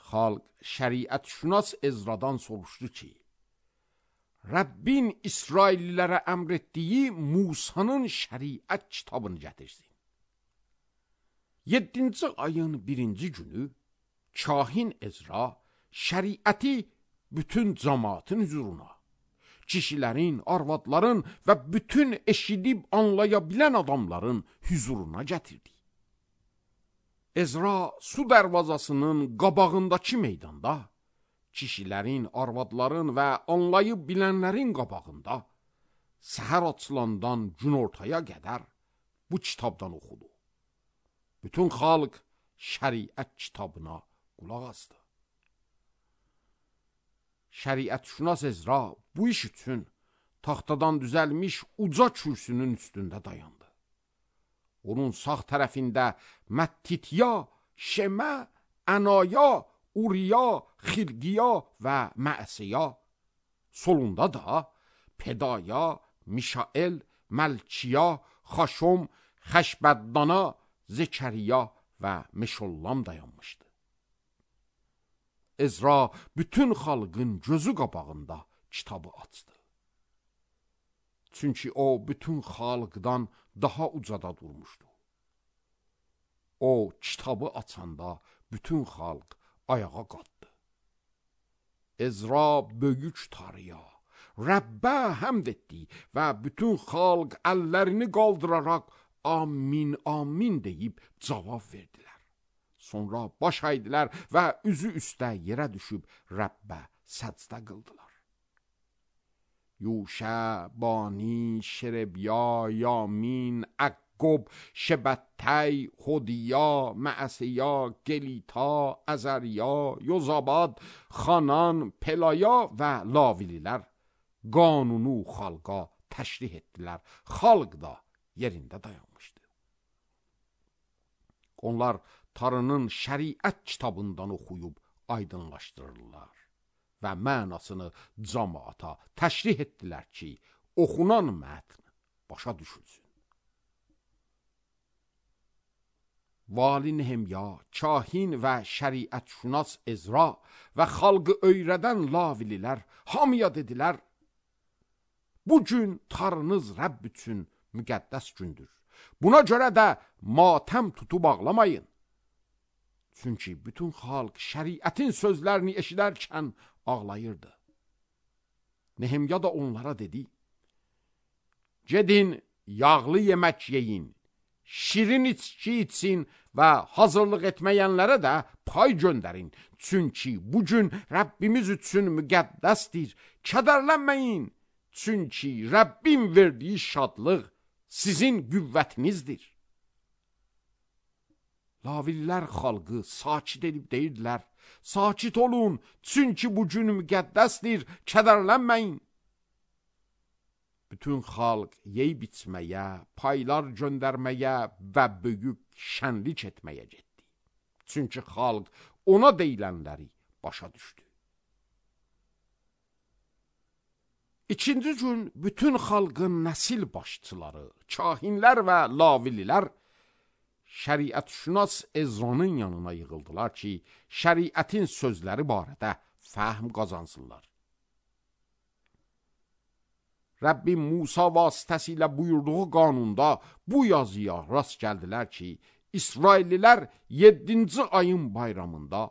Xalq şəriət-şünas Ezradan soruşdu ki, Rəbbin İsraillilərə əmr etdiyi Musanın şəriət kitabını gətirsin. 7-ci ayın 1-ci günü kahin Ezra şəriəti bütün cəmaatın hüzuruna, kişilərin, arvadların və bütün eşidib anlaya bilən adamların hüzuruna gətirdi. Ezra su dərvazasının qabağındakı meydanda, kişilərin, arvadların və anlayıb bilənlərin qabağında səhər açılandan günortaya qədər bu kitabdan oxudu. Bütün xalq şəriət kitabına qulaq asdı. Şəriət-şünas Ezra bu iş üçün taxtadan düzəlmiş uca kürsünün üstündə dayandı. Onun sağ tərəfində Məttitya, Şemə, Ənaya, Uriya, Xilqiya və Məsiya, solunda da Pedaya, Mişael, Məlkiya, Xaşom, Xəşbəddana, Zekəriya və Meşollam dayanmışdı. Ezra bütün xalqın gözü qabağında kitabı açdı. Çünki o bütün xalqdan daha ucada durmuşdu. O kitabı açanda bütün xalq ayağa qalxdı. Ezra böyük tarıya, Rəbbə həmd etdi və bütün xalq əllərini qaldıraraq amin, amin deyib cavab verdilər. Sonra baş əydilər və üzü üstə yerə düşüb Rəbbə səcdə qıldılar. Yuşə, Bani, Şerebiya, Yamin, Əqqob, Şebətəy, Xodiya, Məsiya, Gelita, Əzəriya, Yozabad, Xanan, Pelaya və Lavililər qanunu xalqa təşrih etdilər. Xalq da yerində dayanmışdı. Onlar Tanrının şəriət kitabından oxuyub aydınlaşdırırlar və mənasını cəmaata təşrih etdilər ki, oxunan mətn başa düşülsün. Vali Nehemya, kahin və şəriət-şünas Ezra və xalqı öyrədən lavililər hamıya dedilər, bu gün Tanrınız Rəbb üçün müqəddəs gündür. Buna görə də matəm tutub ağlamayın. Çünki bütün xalq şəriətin sözlərini eşidərkən ağlayırdı. Nehemya da onlara dedi, gedin, yağlı yemək yeyin, şirin içki için və hazırlıq etməyənlərə də pay göndərin. Çünki bugün Rəbbimiz üçün müqəddəsdir. Kədərlənməyin, çünki Rəbbin verdiyi şadlıq sizin qüvvətinizdir. Lavillər xalqı sakit edib deyirdilər, sakit olun, çünki bugün müqəddəsdir, kədərlənməyin. Bütün xalq yeyib içməyə, paylar göndərməyə və böyük şənlik etməyə getdi. Çünki xalq ona deyilənləri başa düşdü. İkinci gün bütün xalqın nəsil başçıları, kahinlər və lavililər şəriət-şünas Ezranın yanına yığıldılar ki, şəriətin sözləri barədə fəhm qazansınlar. Rəbbim Musa vasitəsilə buyurduğu qanunda bu yazıya rast gəldilər ki, İsraillilər 7-ci ayın bayramında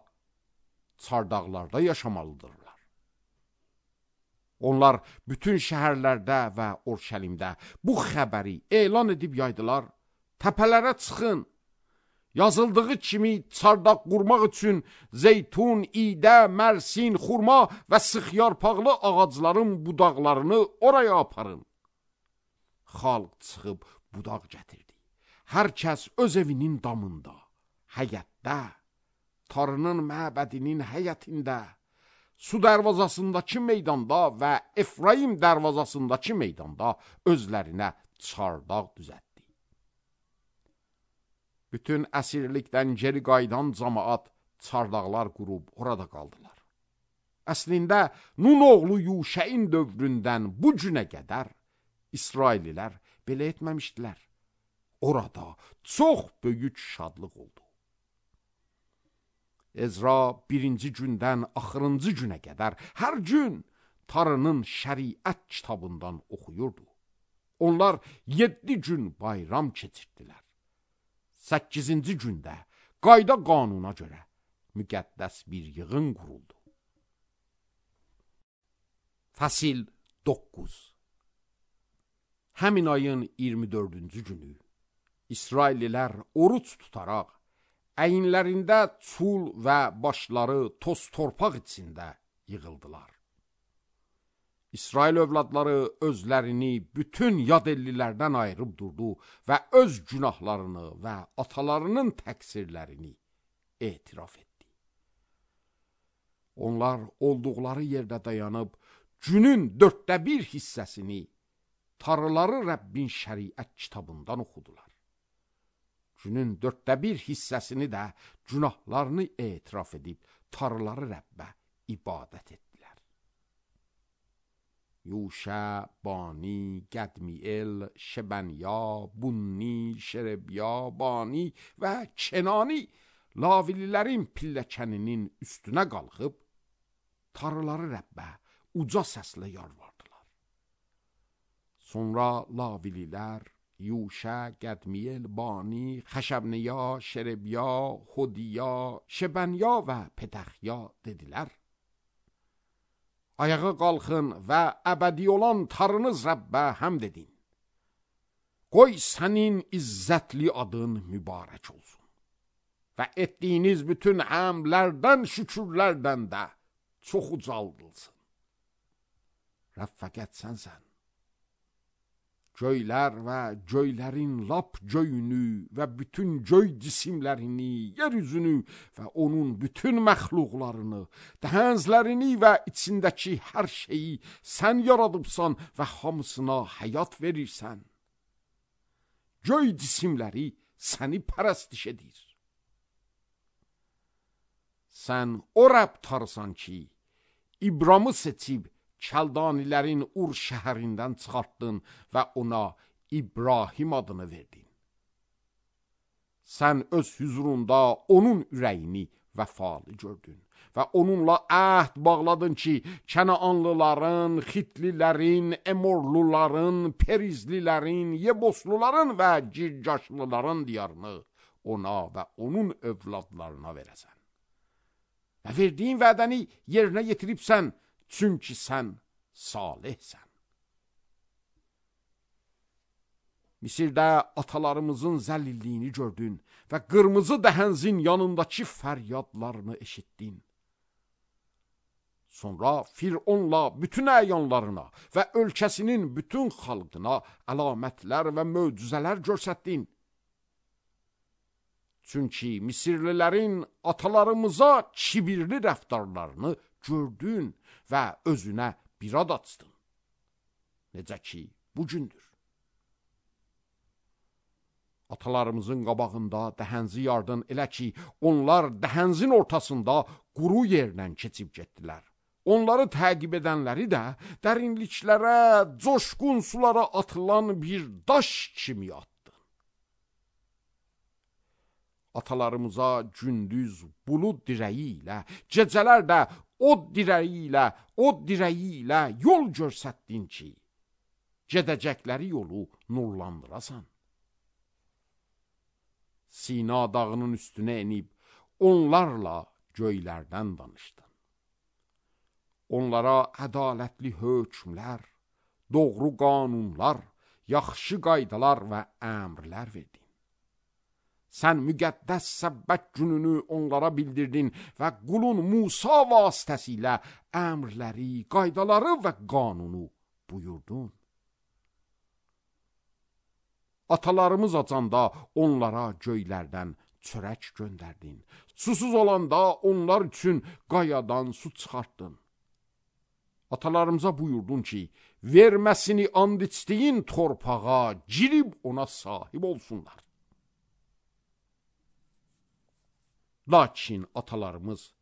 çardaqlarda yaşamalıdırlar. Onlar bütün şəhərlərdə və Orşəlimdə bu xəbəri elan edib yaydılar. Təpələrə çıxın. Yazıldığı kimi çardaq qurmaq üçün zeytun, idə, mərsin, xurma və sıx yarpaqlı ağacların budaqlarını oraya aparın. Xalq çıxıb budaq gətirdi. Hər kəs öz evinin damında, həyətdə, Tarının məbədinin həyətində, su dərvazasındakı meydanda və Efraim dərvazasındakı meydanda özlərinə çardaq düzətdi. Bütün əsirlikdən geri qayıdan cəmaat çardaqlar qurub orada qaldılar. Əslində, Nun oğlu Yuşəin dövründən bu günə qədər İsraillilər belə etməmişdilər. Orada çox böyük şadlıq oldu. Ezra birinci gündən axırıncı günə qədər hər gün Tarının şəriət kitabından oxuyurdu. Onlar 7 gün bayram keçirdilər. 8-ci gündə qayda qanuna görə müqəddəs bir yığın quruldu. Fəsil 9. Həmin ayın 24-cü günü İsraillilər oruç tutaraq əyinlərində çul və başları toz torpaq içində yığıldılar. İsrail övladları özlərini bütün yad ellilərdən ayırıb durdu və öz günahlarını və atalarının təqsirlərini etiraf etdi. Onlar olduqları yerdə dayanıb, günün 1/4 hissəsini Tarıları Rəbbin şəriət kitabından oxudular. Günün 1/4 hissəsini də günahlarını etiraf edib, Tarıları Rəbbə ibadət etdilər. Yuşə, Bani, Qədmiel, Şebanya, Bunni, Şerebya, Bani və Kenani Lavililərin pilləkəninin üstünə qalxıb, Tarıları Rəbbə uca səslə yalvardılar. Sonra Lavililər Yuşə, Qədmiel, Bani, Xəşəbniya, Şerebya, Xodiya, Şebanya və Petəxya dedilər: Ayağa qalxın və əbədi olan Tarınız Rəbbə həmd edin. Qoy sənin izzətli adın mübarək olsun. Və etdiyiniz bütün əmrlərdən, şükürlərdən də çox ucaldılsın. Rəbb fəqət sənsən. Göylər və göylərin lap göyünü və bütün göy cisimlərini, yeryüzünü və onun bütün məxluqlarını, dəhənzlərini və içindəki hər şeyi sən yaradıbsan və hamısına həyat verirsən. Göy cisimləri səni pərəstiş edir. Sən o Rəbb Tarısan ki, İbramı seçib, Kəldanilərin Ur şəhərindən çıxartdın və ona İbrahim adını verdin. Sən öz hüzurunda onun ürəyini vəfalı gördün və onunla əhd bağladın ki, Kənaanlıların, Xitlilərin, Emorluların, Perizlilərin, Yebosluların və Girgaşlıların diyarını ona və onun övladlarına verəsən. Və verdiyin vədəni yerinə yetiribsən, çünki sən salihsən. Misirdə atalarımızın zəlilliyini gördün və qırmızı dəhənzin yanındakı fəryadlarını eşitdin. Sonra Fironla bütün əyanlarına və ölkəsinin bütün xalqına əlamətlər və möcüzələr göstərdin. Çünki Misirlilərin atalarımıza kibirli rəftarlarını gördün və özünə bir ad açdın. Necə ki, bugündür. Atalarımızın qabağında dəhənzi yardın elə ki, onlar dəhənzin ortasında quru yerlə keçib getdilər. Onları təqib edənləri də dərinliklərə, coşqun sulara atılan bir daş kimi atdı. Atalarımıza gündüz bulud dirəyi ilə, gecələr də od dirəyi ilə yol göstərdin ki, gedəcəkləri yolu nurlandırasan. Sina dağının üstünə enib, onlarla göylərdən danışdın. onlara ədalətli hökmlər, doğru qanunlar, yaxşı qaydalar və əmrlər verdin. Sən müqəddəs səbbət gününü onlara bildirdin və qulun Musa vasitəsilə əmrləri, qaydaları və qanunu buyurdun. Atalarımız acanda onlara göylərdən çörək göndərdin. Susuz olanda onlar üçün qayadan su çıxartdın. Atalarımıza buyurdun ki, verməsini and içdiyin torpağa girib ona sahib olsunlar. Lakin atalarımız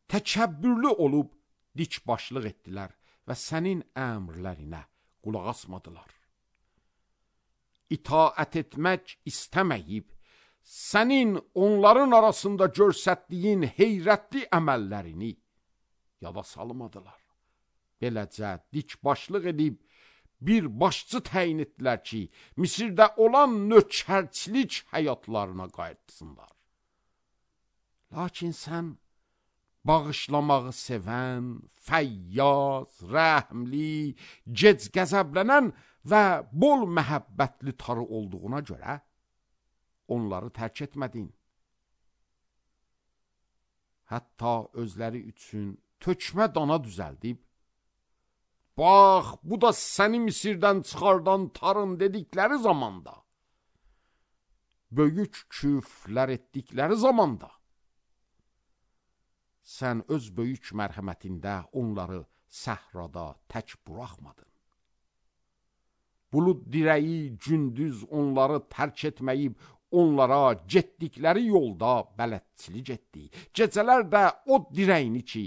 təkəbbürlü olub dikbaşlıq etdilər və sənin əmrlərinə qulaq asmadılar. İtaət etmək istəməyib, sənin onların arasında göstərdiyin heyrətli əməllərini yada salmadılar. Beləcə dikbaşlıq edib bir başçı təyin etdilər ki, Misirdə olan nökərçilik həyatlarına qayıtsınlar. Lakin sən bağışlamağı sevən, fəyyaz, rəhmli, gec qəzəblənən və bol məhəbbətli tarı olduğuna görə onları tərk etmədin. Hətta özləri üçün tökmə dana düzəldib, bax, bu da səni Misirdən çıxardan tarın dedikləri zamanda, böyük küfrlər etdikləri zamanda, sən öz böyük mərhəmətində onları səhrada tək buraxmadın. Bulud dirəyi gündüz onları tərk etməyib, onlara getdikləri yolda bələdçilik etdi. Gecələr də o dirəyini ki,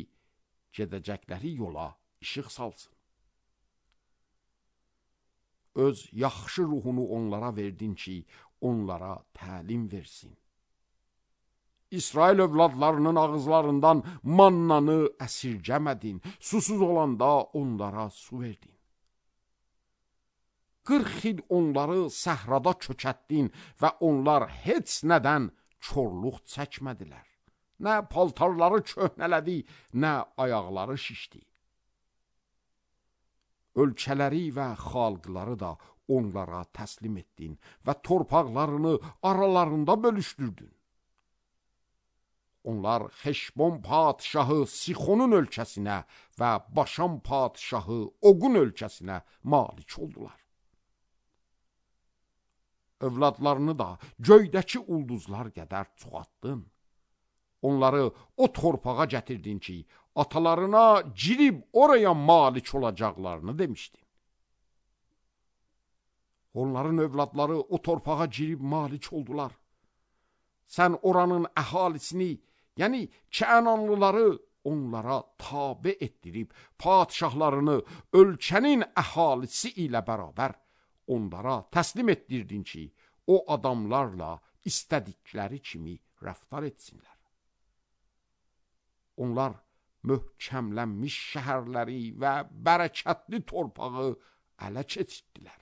gedəcəkləri yola işıq salsın. Öz yaxşı ruhunu onlara verdin ki, onlara təlim versin. İsrail övladlarının ağızlarından mannanı əsirgəmədin, susuz olanda onlara su verdin. 40 il onları səhrada kökətdin və onlar heç nədən çorluq çəkmədilər. Nə paltarları köhnələdi, nə ayaqları şişdi. Ölkələri və xalqları da onlara təslim etdin və torpaqlarını aralarında bölüşdürdün. Onlar Xeşbon padişahı Sixonun ölkəsinə və Başan padişahı Oqun ölkəsinə malik oldular. Övladlarını da göydəki ulduzlar qədər çoxaltdın. Onları o torpağa gətirdin ki, atalarına girib oraya malik olacaqlarını demişdin. Onların övladları o torpağa girib malik oldular. Sən oranın əhalisini, yəni Kəananlıları onlara tabe etdirib, padişahlarını ölkənin əhalisi ilə bərabər onlara təslim etdirdin ki, o adamlarla istədikləri kimi rəftar etsinlər. Onlar möhkəmlənmiş şəhərləri və bərəkətli torpağı ələ keçirdilər.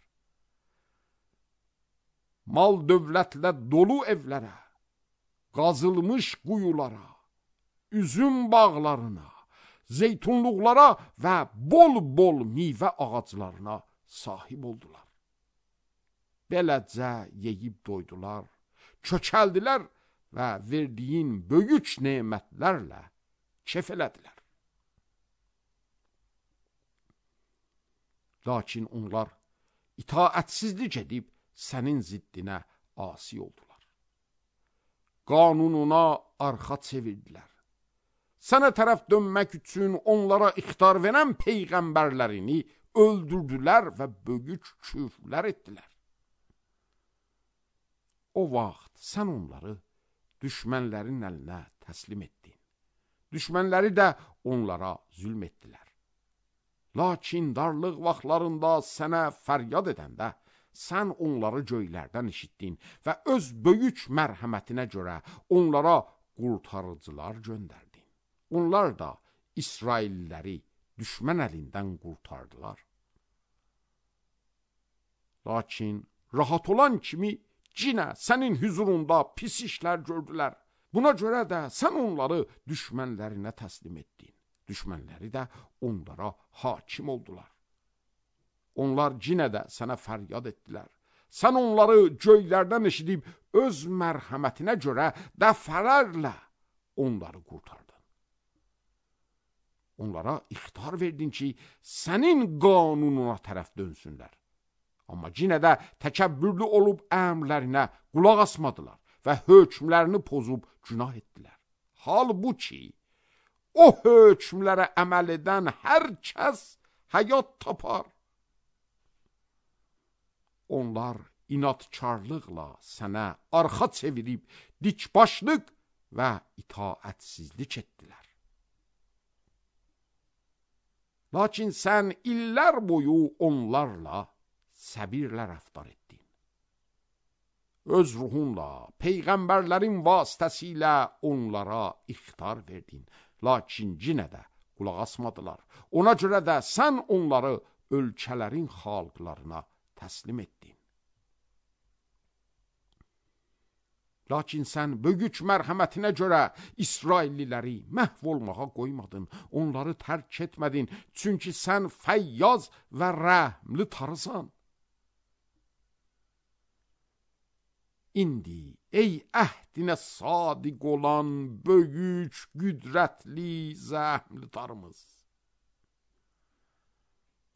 Mal dövlətlə dolu evlərə, qazılmış quyulara, üzüm bağlarına, zeytunluqlara və bol-bol meyvə ağaclarına sahib oldular. Beləcə yeyib doydular, kökəldilər və verdiyin böyük nemətlərlə kef elədilər. Lakin onlar itaətsizlik edib sənin ziddinə asi oldular. Qanununa arxa çevirdilər. Sənə tərəf dönmək üçün onlara ixtar verən peyğəmbərlərini öldürdülər və böyük küfrlər etdilər. O vaxt sən onları düşmənlərin əlinə təslim etdin. Düşmənləri də onlara zülm etdilər. Lakin darlıq vaxtlarında sənə fəryad edəndə, sən onları göylərdən eşitdin və öz böyük mərhəmətinə görə onlara qurtarıcılar göndərdin. Onlar da İsrailləri düşmən əlindən qurtardılar. Lakin rahat olan kimi yenə sənin hüzurunda pis işlər gördülər. Buna görə də sən onları düşmənlərinə təslim etdin. düşmənləri də onlara hakim oldular. Onlar yenə də sənə fəryad etdilər. Sən onları göylərdən eşidib öz mərhəmətinə görə dəfələrlə onları qurtardın. Onlara ixtar verdin ki, sənin qanununa tərəf dönsünlər. Amma yenə də təkəbbürlü olub əmrlərinə qulaq asmadılar və hökmlərini pozub günah etdilər. Halbuki, o hökmlərə əməl edən hər kəs həyat tapar. Onlar inadkarlıqla sənə arxa çevirib dikbaşlıq və itaətsizlik etdilər. Lakin sən illər boyu onlarla səbirlə rəftar etdin. Öz ruhunla, peyğəmbərlərin vasitəsilə onlara ixtar verdin. Lakin yenə də qulaq asmadılar. Ona görə də sən onları ölkələrin xalqlarına təslim etdin. Lakin sən böyük mərhəmətinə görə İsrailliləri məhv olmağa qoymadın, onları tərk etmədin, çünki sən fəyyaz və rəhmli tarısan. İndi ey əhdinə sadiq olan böyük, qüdrətli, zəhmli tarımız,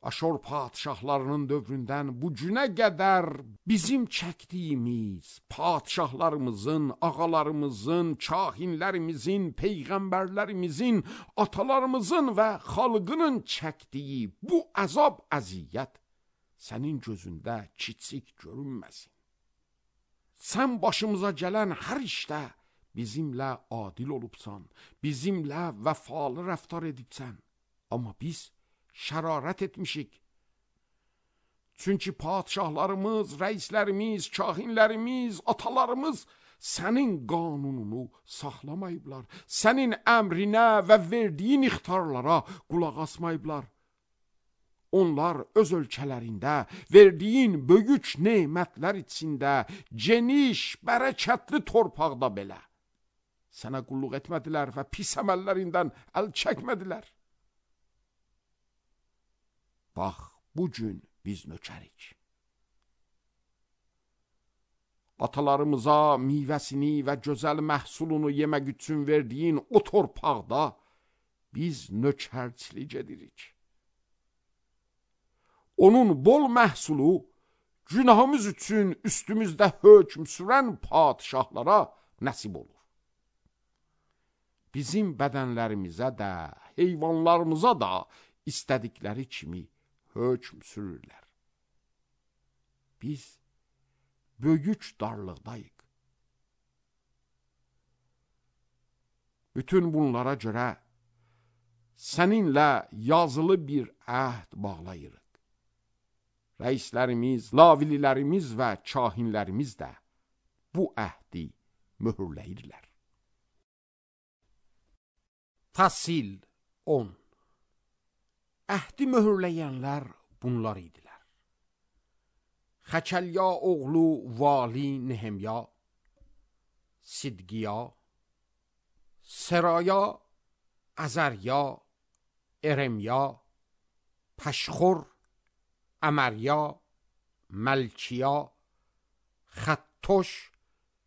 Aşor padişahlarının dövründən bu günə qədər bizim çəkdiyimiz padişahlarımızın, ağalarımızın, kahinlərimizin, peyğəmbərlərimizin, atalarımızın və xalqının çəkdiyi bu əzab əziyyət sənin gözündə kiçik görünməsin. Sən başımıza gələn hər işdə bizimlə adil olubsan, bizimlə vəfalı rəftar edibsən. Amma biz şərarət etmişik. Çünki padişahlarımız, rəislərimiz, kahinlərimiz, atalarımız sənin qanununu saxlamayıblar. Sənin əmrinə və verdiyin ixtarlara qulaq asmayıblar. Onlar öz ölkələrində verdiyin böyük nemətlər içində, geniş, bərəkətli torpaqda belə sənə qulluq etmədilər və pis əməllərindən əl çəkmədilər. Bax, bugün biz nökərik. Atalarımıza meyvəsini və gözəl məhsulunu yemək üçün verdiyin o torpaqda biz nökərçilik edirik. Onun bol məhsulu günahımız üçün üstümüzdə hökm sürən padişahlara nəsib olur. Bizim bədənlərimizə də, heyvanlarımıza da istədikləri kimi hökm sürürlər. Biz böyük darlıqdayıq. Bütün bunlara görə səninlə yazılı bir əhd bağlayırıq. Rəislərimiz, lavililərimiz və kahinlərimiz də bu əhdi möhürləyirlər. Təsil 10. Əhdi möhürləyənlər bunlar idilər. Xəkəlya oğlu Vali Nehemya, Sidqiya, Seraya, Əzərya, Eremya, Pəşxur, Əmərya, Məlkiya, Xəttoş,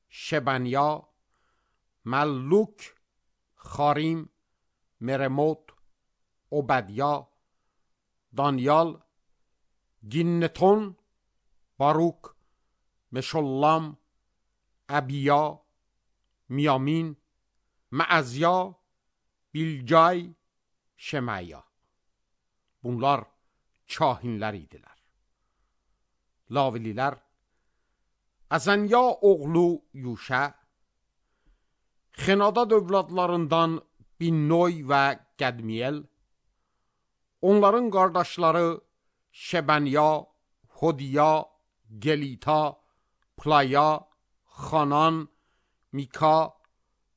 Şebanya, Məlluk, Xarim, Meremot, Obədya, Danyal, Ginnetun, Baruk, Meşollam, Əbiya, Miyamin, Məəzya, Bilcay, Şeməya. Bunlar kahinlər idilər. Lavililər, Əzənya oğlu Yuşə, Xenadad övladlarından Binnoy və Qədmiyel, onların qardaşları Şebanya, Hodiya, Gelita, Playa, Xanan, Mika,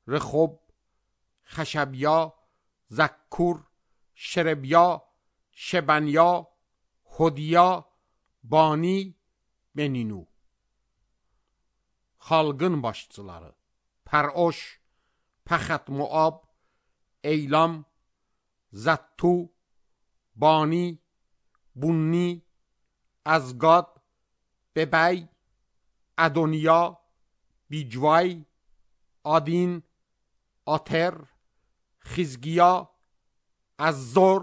Rexob, Xəşəbya, Zəkkur, Şerebya, Şebanya, Hodiya, Bani, Beninu. Xalqın başçıları Pəroş, Pəxət Muab, Eylam, زتو، بانی، بونی، ازگاد، ببی، ادونیا، بیجوای، آدین، آتر، خزگیا، اززر،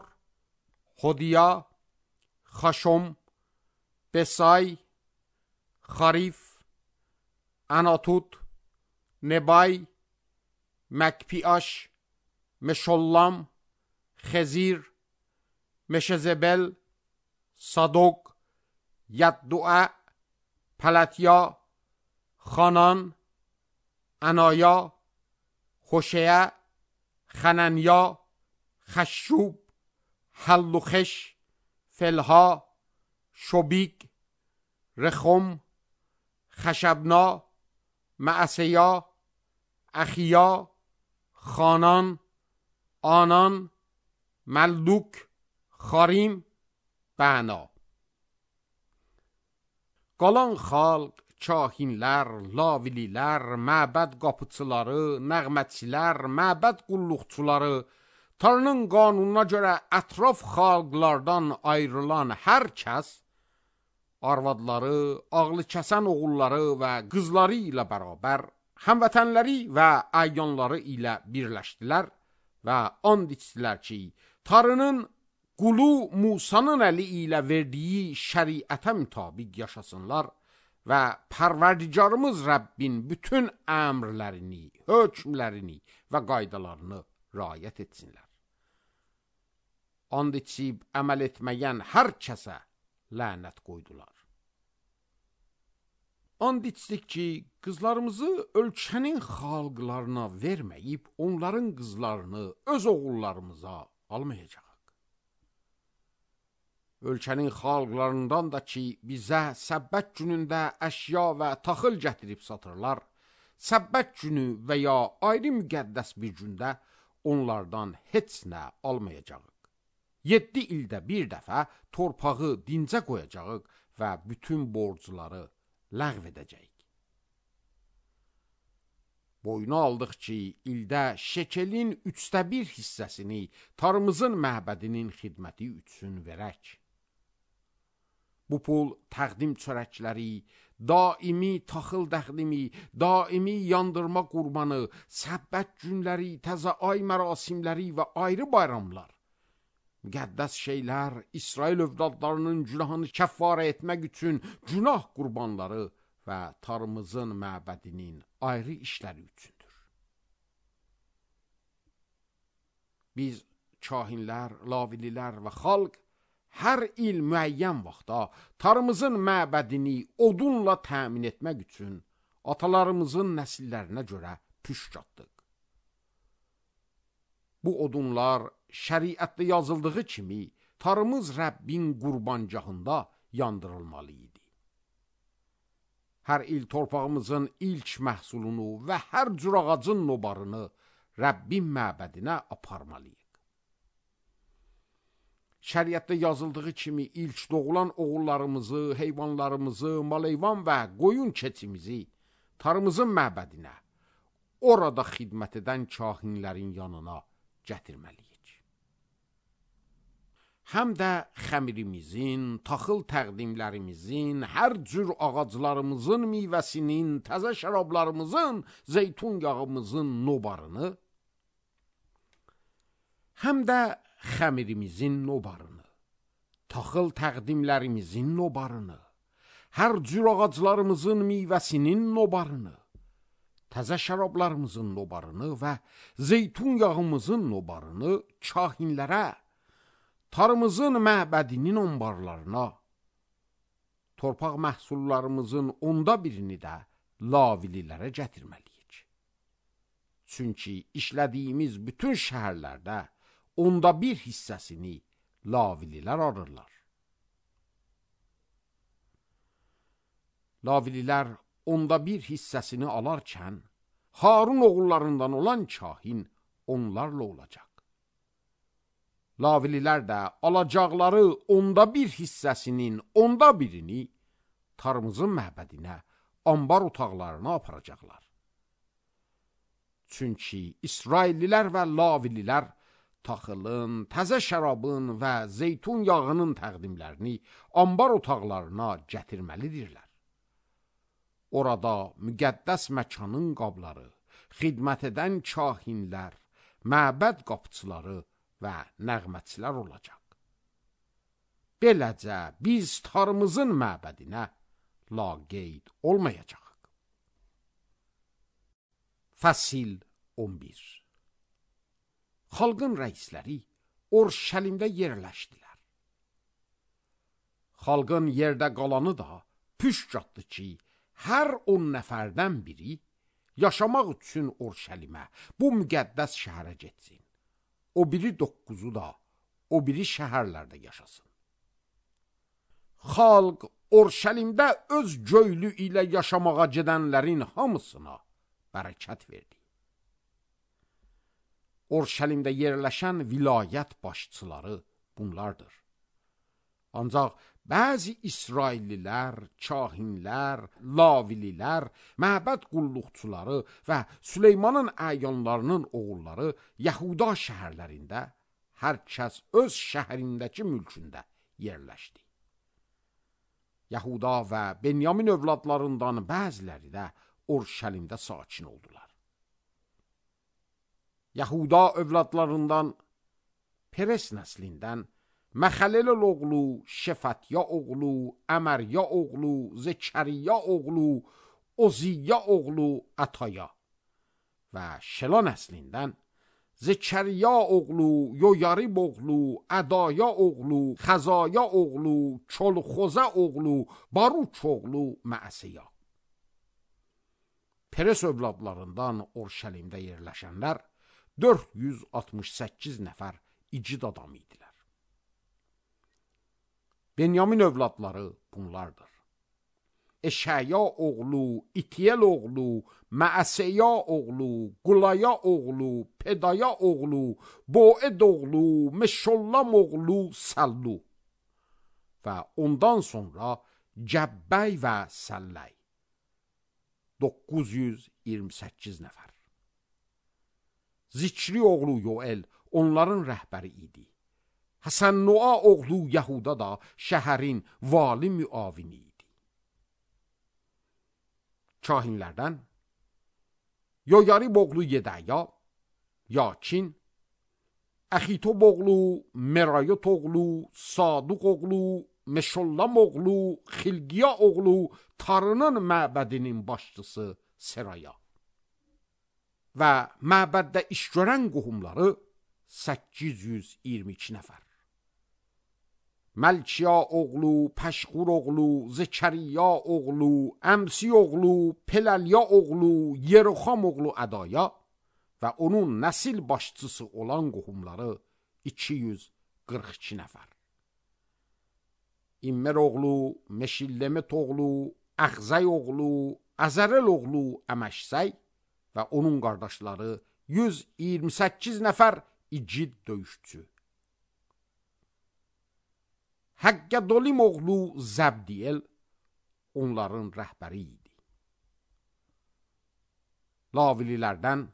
خودیا، خشم، بسای، خریف، اناتوت، نبای، مکپیاش، مشولام، خزیر، مشزبل، صادوق، یدعا، پلتیا، خانان، انایا، خوشیه، خننیا، خشوب، حلوخش، فلها، شبیگ، رخم، خشبنا، معسیا، اخیا، خانان، آنان، ملدوک، خاریم، بنا. Qalan xalq, kahinlər, lavililər, məbəd qapıçıları, nəğmətçilər, məbəd qulluqçuları, Tanrının qanununa görə ətraf xalqlardan ayrılan hər kəs, arvadları, ağlı kəsən oğulları və qızları ilə bərabər, həmvətənləri və əyyanları ilə birləşdilər və and içdilər ki, Tanrının qulu Musanın əli ilə verdiyi şəriətə mütabiq yaşasınlar və Pərverdigarımız Rəbbin bütün əmrlərini, hökmlərini və qaydalarını riayət etsinlər. And içib əməl etməyən hər kəsə lənət qoydular. And içdik ki, qızlarımızı ölkənin xalqlarına verməyib, onların qızlarını öz oğullarımıza almayacaq. Ölkənin xalqlarından da ki, bizə səbbət günündə əşya və taxıl gətirib satırlar, səbbət günü və ya ayrı müqəddəs bir gündə onlardan heç nə almayacağıq. 7 ildə bir dəfə torpağı dincə qoyacağıq və bütün borcları ləğv edəcəyik. Boyuna aldıq ki, ildə şekelin 1/3 hissəsini Tanrımızın məbədinin xidməti üçün verək. Bu pul təqdim çörəkləri, daimi taxıl təqdimi, daimi yandırma qurbanı, səbbət günləri, təzə ay mərasimləri və ayrı bayramlar, müqəddəs şeylər, İsrail övladlarının günahını kəffarə etmək üçün günah qurbanları və Tanrımızın məbədinin ayrı işləri üçündür. Biz kahinlər, lavililər və xalq hər il müəyyən vaxtda Tanrımızın məbədini odunla təmin etmək üçün atalarımızın nəsillərinə görə püşk atdıq. Bu odunlar şəriətdə yazıldığı kimi Tanrımız Rəbbin qurbancağında yandırılmalı idi. Hər il torpağımızın ilk məhsulunu və hər cür ağacın nobarını Rəbbin məbədinə aparmalıyıq. Şəriətdə yazıldığı kimi ilk doğulan oğullarımızı, heyvanlarımızı, maleyvan və qoyun keçimizi Tanrımızın məbədinə, orada xidmət edən kahinlərin yanına gətirməliyik. Həm də xəmirimizin, taxıl təqdimlərimizin, hər cür ağaclarımızın meyvəsinin, təzə şərablarımızın, zeytun yağımızın nobarını, həm də xəmirimizin nobarını, taxıl təqdimlərimizin nobarını, hər cür ağaclarımızın meyvəsinin nobarını, təzə şərablarımızın nobarını və zeytun yağımızın nobarını kahinlərə, Tanrımızın məbədinin onbarlarına, torpaq məhsullarımızın 1/10 də lavililərə gətirməliyik. Çünki işlədiyimiz bütün şəhərlərdə 1/10 hissəsini lavililər alırlar. Lavililər 1/10 hissəsini alarkən, Harun oğullarından olan kahin onlarla olacaq. Lavililər də alacaqları 1/10 hissəsinin 1/10 Tanrımızın məbədinə, ambar otaqlarına aparacaqlar. Çünki İsraillilər və Lavililər taxılın, təzə şərabın və zeytun yağının təqdimlərini ambar otaqlarına gətirməlidirlər. Orada müqəddəs məkanın qabları, xidmət edən kahinlər, məbəd qapıçıları və nəğmətçilər olacaq. Beləcə biz Tanrımızın məbədinə laqeyd olmayacaq. Fəsil 11. Xalqın rəisləri Urşəlimdə yerləşdilər. Xalqın yerdə qalanı da püşkatdı ki, hər 10 nəfərdən biri yaşamaq üçün Urşəlimə, bu müqəddəs şəhərə getsin. O biri 9-u da o biri şəhərlərdə yaşasın. Xalq Urşəlimdə öz göylü ilə yaşamağa gedənlərin hamısına bərəkət verdi. Urşəlimdə yerləşən vilayət başçıları bunlardır. Ancaq bəzi İsraillilər, kahinlər, lavililər, məbəd qulluqçuları və Süleymanın əyanlarının oğulları Yahuda şəhərlərində hər kəs öz şəhərindəki mülkündə yerləşdi. Yahuda və Benyamin övladlarından bəziləri də Urşəlimdə sakin oldular. Yahuda övladlarından Peres nəslindən Məxəlel oğlu, Şefətya oğlu, Əmərya oğlu, Zəkəriya oğlu, Oziyya oğlu Ətaya və Şela nəslindən Zəkəriya oğlu, Yoyarib oğlu, Ədaya oğlu, Xəzaya oğlu, Çolxozə oğlu, Baruç oğlu Məəsiya. Peres övladlarından Urşəlimdə yerləşənlər 468 nəfər igid adam idilər. Benyamin övladları bunlardır. Eşaya oğlu, İtiyel oğlu, Məəsiya oğlu, Qulaya oğlu, Pedaya oğlu, Boed oğlu, Meşollam oğlu Sallu və ondan sonra Cəbbəy və Səlləy 928 nəfər. Zikri oğlu Yoel onların rəhbəri idi. Həsən-Nua oğlu Yahuda da şəhərin vali müavini idi. Kahinlərdən Yoyarib oğlu Yedaya, Yakin, Əxitob oğlu, Merayot oğlu, Saduq oğlu, Meşollam oğlu, Xilqiya oğlu, Tarının məbədinin başçısı Seraya və məbəddə iş görən qohumları 822 nəfər. Məlkiya oğlu, Pəşqur oğlu, Zəkəriya oğlu, Əmsi oğlu, Peləlya oğlu, Yeroxam oğlu Ədaya və onun nəsil başçısı olan qohumları 242 nəfər. İmmer oğlu, Meşillemət oğlu, Əxzəy oğlu, Əzərəl oğlu Əməşsəy və onun qardaşları 128 nəfər igid döyüşçü. Həqqədolim oğlu Zəbdiyel onların rəhbəri idi. Lavililərdən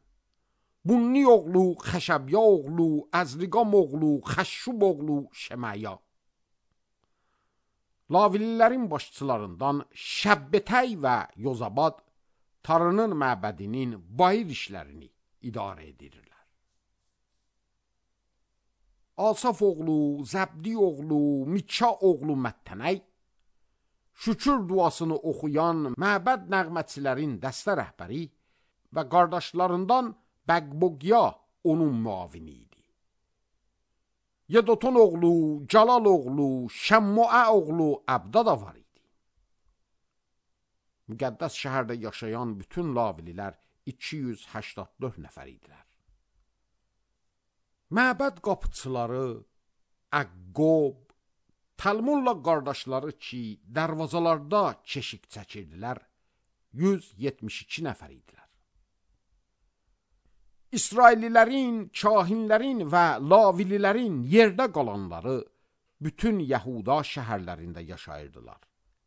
Bunni oğlu, Xəşəbya oğlu, Əzriqam oğlu, Xəşşub oğlu Şəməya. Lavililərin başçılarından Şəbbətəy və Yozabad Tarının məbədinin bayır işlərini idarə edirlər. Asaf oğlu, Zəbdi oğlu, Mikka oğlu Məttənəy, şükür duasını oxuyan məbəd nəğmətçilərin dəstə rəhbəri və qardaşlarından Bəqbogya onun müavini idi. Yedotun oğlu, Calal oğlu, Şəmmuə oğlu Əbda da var idi. Müqəddəs şəhərdə yaşayan bütün lavililər 284 nəfər idilər. Məbəd qapıçıları Əqqob, Talmunla qardaşları ki, dərvazalarda keşik çəkirdilər, 172 nəfər idilər. İsraillilərin, kahinlərin və lavililərin yerdə qalanları bütün Yahuda şəhərlərində yaşayırdılar.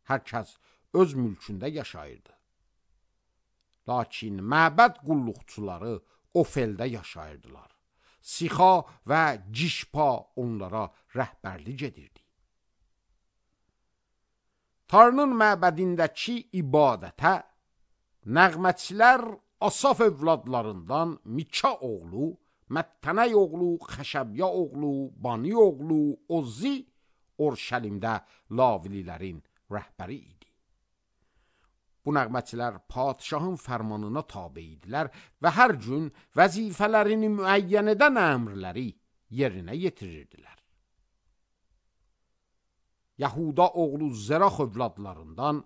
Hər kəs öz mülkündə yaşayırdı. Lakin məbəd qulluqçuları Ofeldə yaşayırdılar. Sixa və Cişpa onlara rəhbərlik edirdi. Tanrının məbədindəki ibadətə nəğməçilər Asaf övladlarından Mika oğlu, Məttənəy oğlu, Xəşəbya oğlu, Bani oğlu, Ozzi Orşəlimdə lavililərin rəhbəri idi. Bu nəğməçilər padişahın fərmanına tabe idilər və hər gün vəzifələrini müəyyən edən əmrləri yerinə yetirirdilər. Yahuda oğlu Zerax övladlarından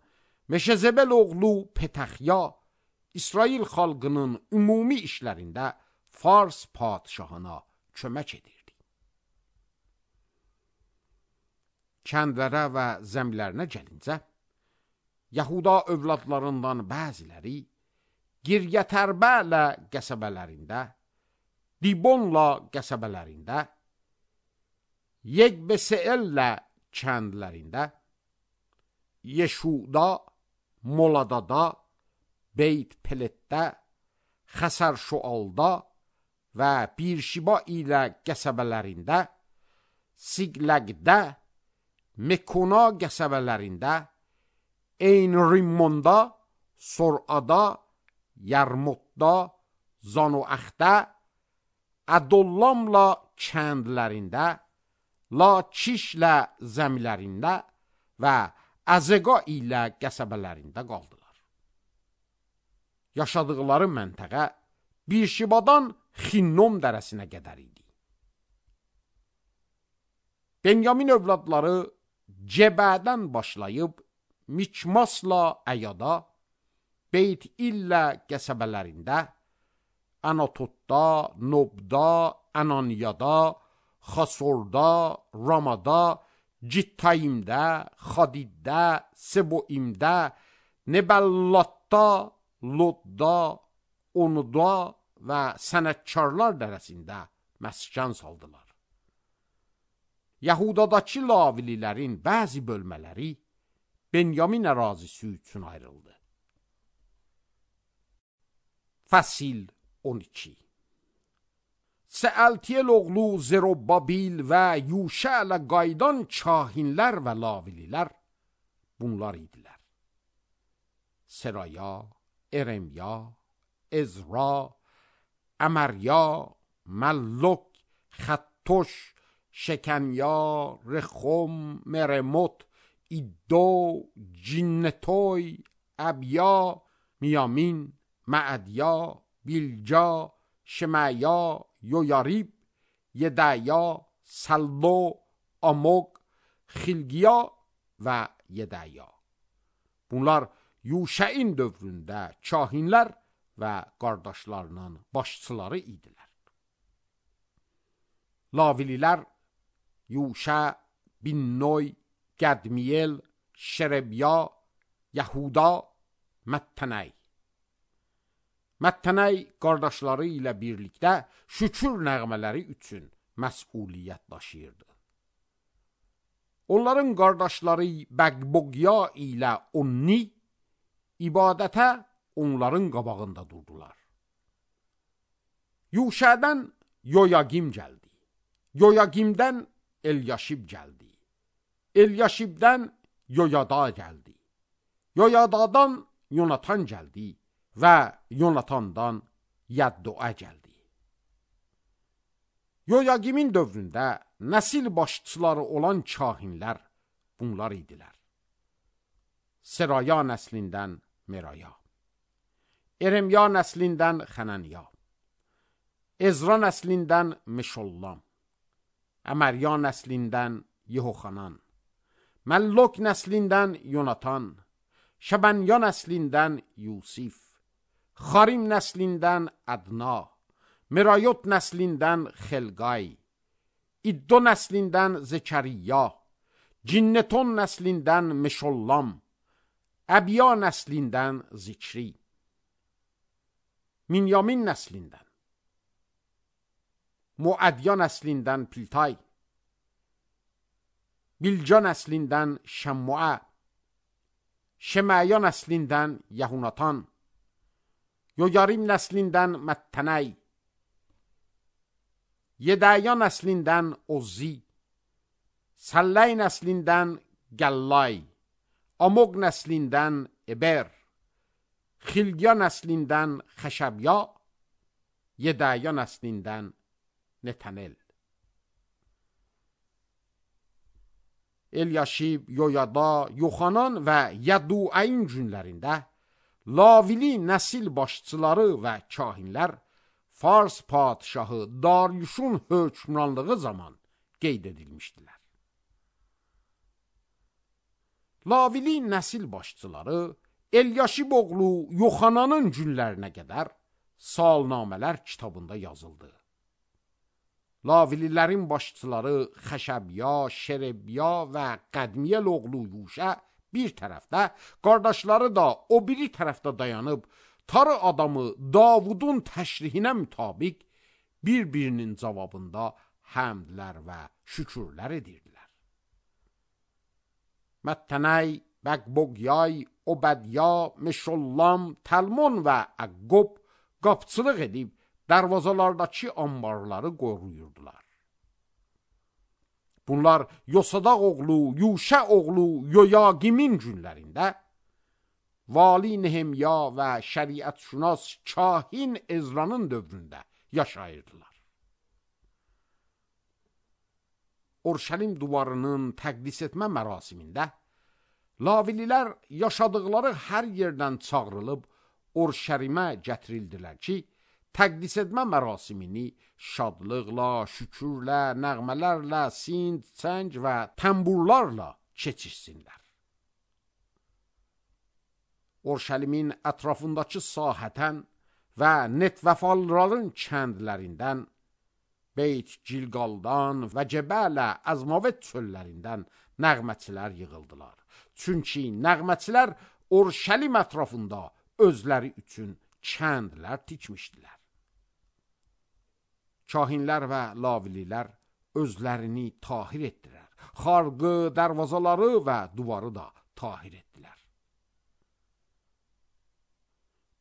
Meşezebel oğlu Petəxya İsrail xalqının ümumi işlərində Fars padişahına kömək edirdi. Kəndlərə və zəmlərinə gəlincə, Yahuda övladlarından bəziləri Giryətərbələ qəsəbələrində, Dibonla qəsəbələrində, Yeqbeseellə kəndlərində, Yeşuda, Moladada, Beyt Peletdə, Xəsər-Şualda və Birşiba ilə qəsəbələrində, Siqləqdə, Mekona qəsəbələrində, Eyn-Rimmonda, Sorada, Yarmutda, Zanoaxdə, Ədollamla kəndlərində, Laçişlə zəmilərində və Əzəqa ilə qəsəbələrində qaldılar. Yaşadıqları məntəqə Birşibadan Xinnom dərəsinə qədər idi. Benyamin övladları Cebədən başlayıb Mikmasla Əyada, Beyt İllə qəsəbələrində, Anatotda, Nobda, Ananiyada, Xasorda, Ramada, Cittayimdə, Xadiddə, Seboimdə, Nebəllatda, Lodda, Onuda və sənətkarlar dərəsində məskən saldılar. Yahudadakı lavililərin bəzi bölmələri Benyamin ərazisi üçün ayrıldı. Fəsil 12. Sealtiyel oğlu Zerubabil və Yuşələ qaydan kahinlər və lavililər bunlar idilər. Seraya, Eremya, Ezra, Əmərya, Məllok, Xəttoş, Şəkənya, Rexom, Meremot, İddo, Cinnetoy, Əbya, Miyamin, Məədya, Bilca, Şemaya, Yoyarib, Yedaya, Sallo, Amok, Xilgiya və Yedaya. Bunlar Yuşəin dövründə kahinlər və qardaşlarının başçıları idilər. Lavililər Yuşə, Binnoy, Qədmiyel, Şerebya, Yahuda, Məttənəy. Məttənəy qardaşları ilə birlikdə şükür nəğmələri üçün məsuliyyət daşıyırdı. Onların qardaşları Bəqboqya ilə Onni ibadətə onların qabağında durdular. Yuşədən Yoyagim gəldi. Yoyagimdən Elyaşib gəldi. Elyaşibdən Yoyada gəldi. Yoyadadan Yonatan gəldi və Yonatandan Yəddoa gəldi. Yoyagimin dövründə nəsil başçıları olan kahinlər bunlar idilər. Seraya nəslindən Meraya, Eremya nəslindən Xənəniya, Ezra nəslindən Meşollam, Əmərya nəslindən Yehoxanan, Məllok nəslindən Yonatan, Şəbənya nəslindən Yusif, Xarim nəslindən Ədna, Merayot nəslindən Xelqay, İddo nəslindən Zekəriya, Cinneton nəslindən Meşollam, Əbya nəslindən Zikri, Minyamin nəslindən, Muədya nəslindən Piltay, Bilca nəslindən Şəmmua, Şemaya nəslindən Yahunatan, Yoyarim nəslindən Məttənəy, Yedaya nəslindən Ozzi, Səllay nəslindən Gəllay, Amoq nəslindən Eber, Xilya nəslindən Xəşəbya, Yedaya nəslindən Netanel. Elyaşib, Yoyada, Yoxanan və Yaduayn günlərində Lavili nəsil başçıları və kahinlər Fars padişahı Daryuşun hökmranlığı zaman qeyd edilmişdilər. Lavili nəsil başçıları Elyaşib oğlu Yoxananın günlərinə qədər salnamələr kitabında yazıldı. Lavililərin başçıları Xəşəbya, Şerebya və Qədmiyəl oğlu Yuşə bir tərəfdə, qardaşları da o biri tərəfdə dayanıb, tarı adamı Davudun təşrihinə mütabiq bir-birinin cavabında həmdlər və şükürlər edirdilər. Məttənəy, Bəqboqyay, Obədya, Meşollam, Təlmon və Əqqob qapçılıq edib, dərvazalardakı ambarları qoruyurdular. Bunlar Yosadaq oğlu, Yuşə oğlu Yoyaqimin günlərində Vali Nehemya və şəriətşünas kahin Ezranın dövründə yaşayırdılar. Urşəlim divarının təqdis etmə mərasimində Lavililər yaşadıqları hər yerdən çağrılıb Urşəlimə gətirildilər ki, təqdis etmə mərasimini şadlıqla, şükürlə, nəğmələrlə, sind, çəng və təmburlarla keçirsinlər. Urşəlimin ətrafındakı sahətən və Netvəfalların kəndlərindən, Beyt Gilqaldan və Cəbələ Əzmavet çöllərindən nəğməçilər yığıldılar. Çünki nəğməçilər Urşəlim ətrafında özləri üçün kəndlər tikmişdilər. Kahinlər və lavililər özlərini tahir etdilər. Xarqı, dərvazaları və duvarı da tahir etdilər.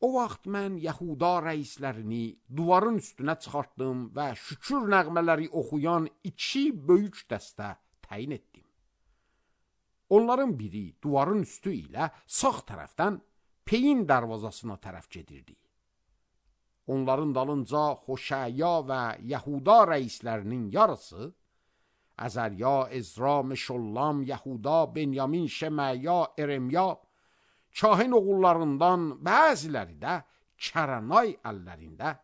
O vaxt mən Yahuda rəislərini duvarın üstünə çıxartdım və şükür nəğmələri oxuyan 2 böyük dəstə təyin etdim. Onların biri duvarın üstü ilə sağ tərəfdən Peyin dərvazasına tərəf gedirdi. Onların dalınca Xoşəya və Yahuda rəislərinin yarısı, Əzərya, Ezra, Meşollam, Yahuda, Benyamin, Şeməya, Eremya, kahin oğullarından bəziləri də Kəranay əllərində,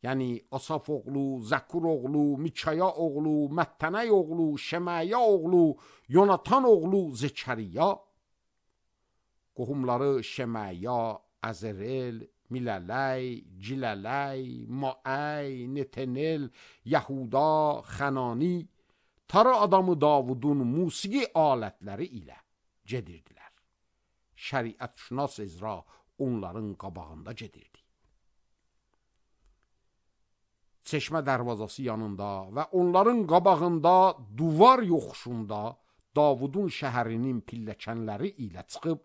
yəni Asaf oğlu, Zəkur oğlu, Mikaya oğlu, Məttənəy oğlu, Şeməya oğlu, Yonatan oğlu Zekəriya, qohumları Şeməya, Əzərel, Milələy, Cilələy, Maəy, Netenel, Yahuda, Xənani, tarı adamı Davudun musiqi alətləri ilə gedirdilər. Şəriətşünas Ezra onların qabağında gedirdi. Çeşmə dərvazası yanında və onların qabağında duvar yoxuşunda Davudun şəhərinin pilləkənləri ilə çıxıb,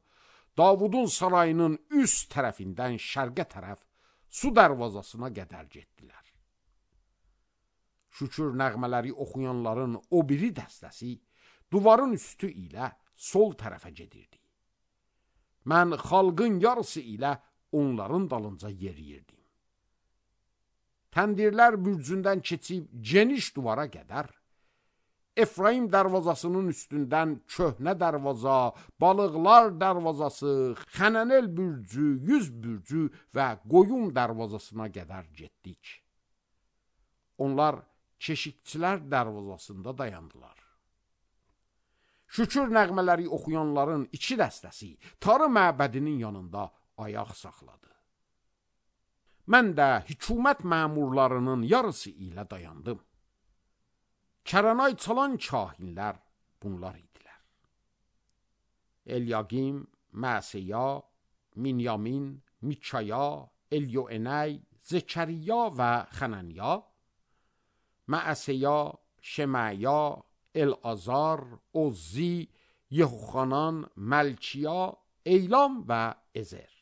Davudun sarayının üst tərəfindən şərqə tərəf su dərvazasına qədər getdilər. Şükür nəğmələri oxuyanların o biri dəstəsi duvarın üstü ilə sol tərəfə gedirdi. Mən xalqın yarısı ilə onların dalınca yeriyirdim. Təndirlər bürcündən keçib geniş duvara qədər, Efraim dərvazasının üstündən köhnə dərvaza, balıqlar dərvazası, Xənənel bürcü, 100 bürcü və qoyun dərvazasına qədər getdik. Onlar keşikçilər dərvazasında dayandılar. Şükür nəğmələri oxuyanların 2 dəstəsi tarı məbədinin yanında ayaq saxladı. Mən də hükümət məmurlarının yarısı ilə dayandım. Kəranay çalan kahinlər bunlar idilər. Elyaqim, Məsəya, Minyamin, Mikaya, Elyoenəy, Zekəriya və Xənaniya, Məsəya, Şeməya, Elazar, Ozzi, Yehoxanan, Məlkiya, Eylam və Ezer.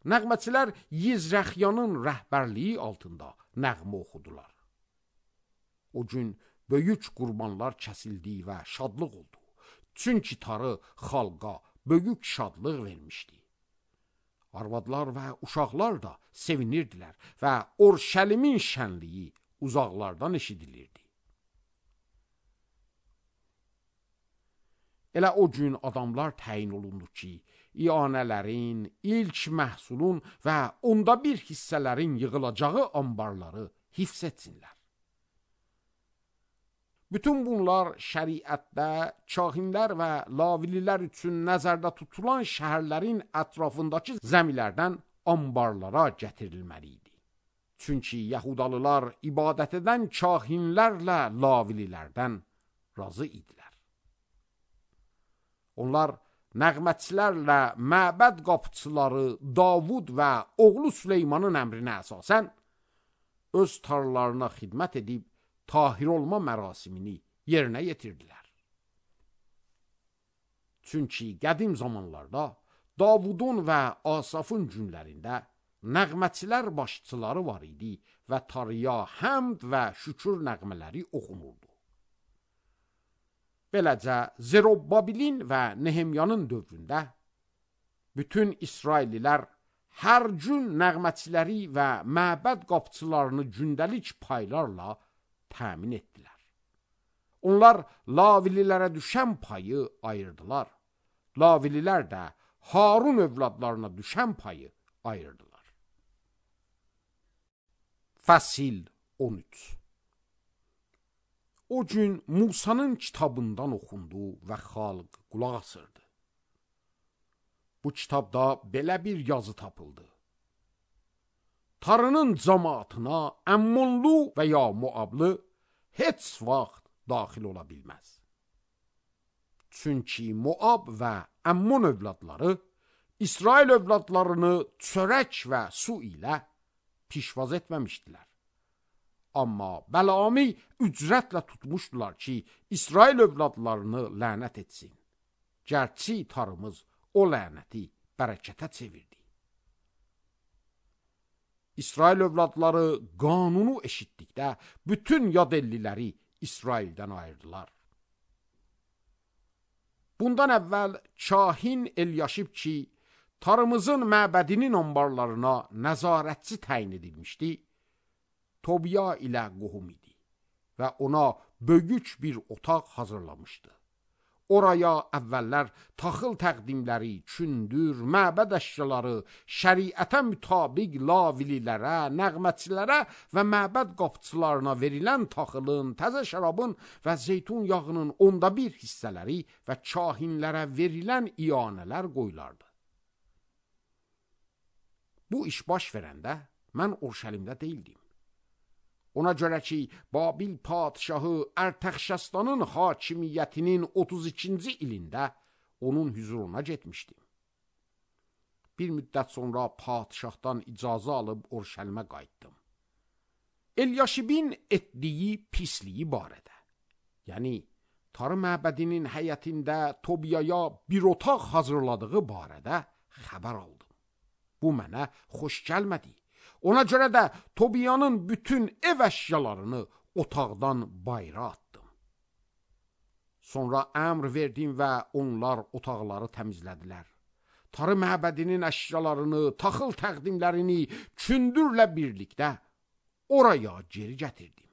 Nəğməçilər Yizrəxyanın rəhbərliyi altında nəğmə oxudular. O gün böyük qurbanlar kəsildi və şadlıq oldu. Çünki Tarı xalqa böyük şadlıq vermişdi. Arvadlar və uşaqlar da sevinirdilər və Orşəlimin şənliyi uzaqlardan eşidilirdi. Elə o gün adamlar təyin olundu ki, iyanələrin, ilk məhsulun və onda bir hissələrin yığılacağı ambarları hifz etsinlər. Bütün bunlar şəriətdə kahinlər və lavililər üçün nəzərdə tutulan şəhərlərin ətrafındakı zəmilərdən ambarlara gətirilməli idi. Çünki Yahudalılar ibadət edən kahinlərlə lavililərdən razı idilər. Onlar nəğmətçilərlə məbəd qapıçıları Davud və oğlu Süleymanın əmrinə əsasən öz tarlalarına xidmət edib tahir olma mərasimini yerinə yetirdilər. Çünki qədim zamanlarda Davudun və Asafın günlərində nəğmətçilər başçıları var idi və Tarıya həmd və şükür nəğmələri oxunurdu. Beləcə, Zerubbabelin və Nehemyanın dövründə bütün İsraillilər hər gün nəğmətçiləri və məbəd qapıçılarını gündəlik paylarla təmin etdilər. Onlar lavililərə düşən payı ayırdılar. Lavililər də Harun övladlarına düşən payı ayırdılar. Fəsil 13. O gün Musanın kitabından oxundu və xalq qulaq asırdı. Bu kitabda belə bir yazı tapıldı. Tarının cəmaatına Əmmonlu və ya Moablı heç vaxt daxil ola bilməz. Çünki Moab və Əmmon övladları İsrail övladlarını çörək və su ilə pişvaz etməmişdilər. Amma Bəlami ücrətlə tutmuşdular ki, İsrail övladlarını lənət etsin. Gərçi Tarımız o lənəti bərəkətə çevirdi. İsrail övladları qanunu eşitdikdə bütün yad elliləri İsraildən ayırdılar. Bundan əvvəl kahin Elyaşib ki, Tarımızın məbədinin ambarlarına nəzarətçi təyin edilmişdi, Tobiya ilə qohum idi və ona böyük bir otaq hazırlamışdı. Oraya əvvəllər taxıl təqdimləri, kündür, məbəd əşyaları, şəriətə mütabiq lavililərə, nəğmətçilərə və məbəd qapıçılarına verilən taxılın, təzə şərabın və zeytun yağının 1/10 hissələri və kahinlərə verilən iyanələr qoyulardı. Bu iş baş verəndə mən Orşəlimdə deyildim. Ona görə ki, Babil padişahı Ərtəxşəstanın hakimiyyətinin 32-ci ilində onun hüzuruna getmişdim. Bir müddət sonra padişahdan icazə alıb Orşəlimə qayıtdım. Elyaşibin etdiyi pisliyi barədə, yəni Tarı məbədinin həyətində Tobiyaya bir otaq hazırladığı barədə xəbər aldım. Bu mənə xoş gəlmədi. Ona görə də Tobiyanın bütün ev əşyalarını otaqdan bayıra atdım. Sonra əmr verdim və onlar otaqları təmizlədilər. Tarı məbədinin əşyalarını, taxıl təqdimlərini kündürlə birlikdə oraya geri gətirdim.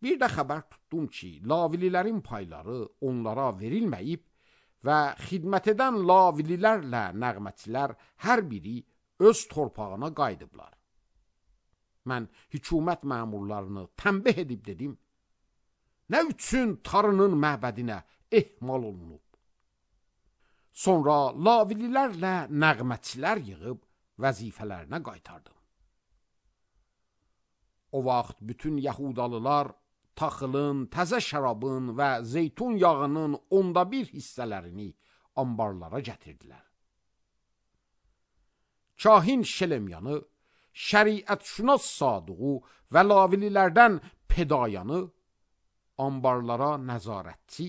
Bir də xəbər tutdum ki, lavililərin payları onlara verilməyib və xidmət edən lavililərlə nəğmətçilər hər biri öz torpağına qayıdıblar. Mən hökumət məmurlarını tənbih edib dedim, nə üçün Tarının məbədinə ehmal olunub? Sonra lavililərlə nəğmətçilər yığıb vəzifələrinə qaytardım. O vaxt bütün Yahudalılar taxılın, təzə şərabın və zeytun yağının 1/10 hissələrini ambarlara gətirdilər. Kahin Şelemyanı, şəriətşünas Sadığı və lavililərdən Pedayanı ambarlara nəzarətçi,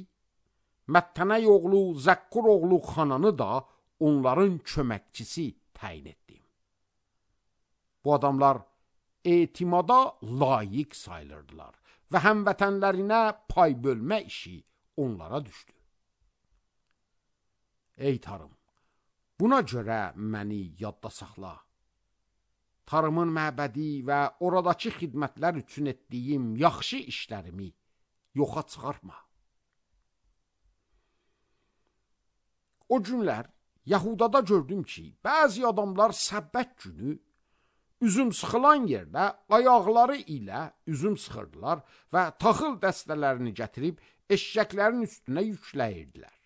Məttənəy oğlu Zəkkur oğlu Xananı da onların köməkçisi təyin etdim. Bu adamlar etimada layiq sayılırdılar və həmvətənlərinə pay bölmə işi onlara düşdü. Ey tarım, buna görə məni yadda saxla. Tarımın məbədi və oradakı xidmətlər üçün etdiyim yaxşı işlərimi yoxa çıxarma. O günlər Yahudada gördüm ki, bəzi adamlar səbbət günü üzüm sıxılan yerdə ayaqları ilə üzüm sıxırdılar və taxıl dəstələrini gətirib eşşəklərin üstünə yükləyirdilər.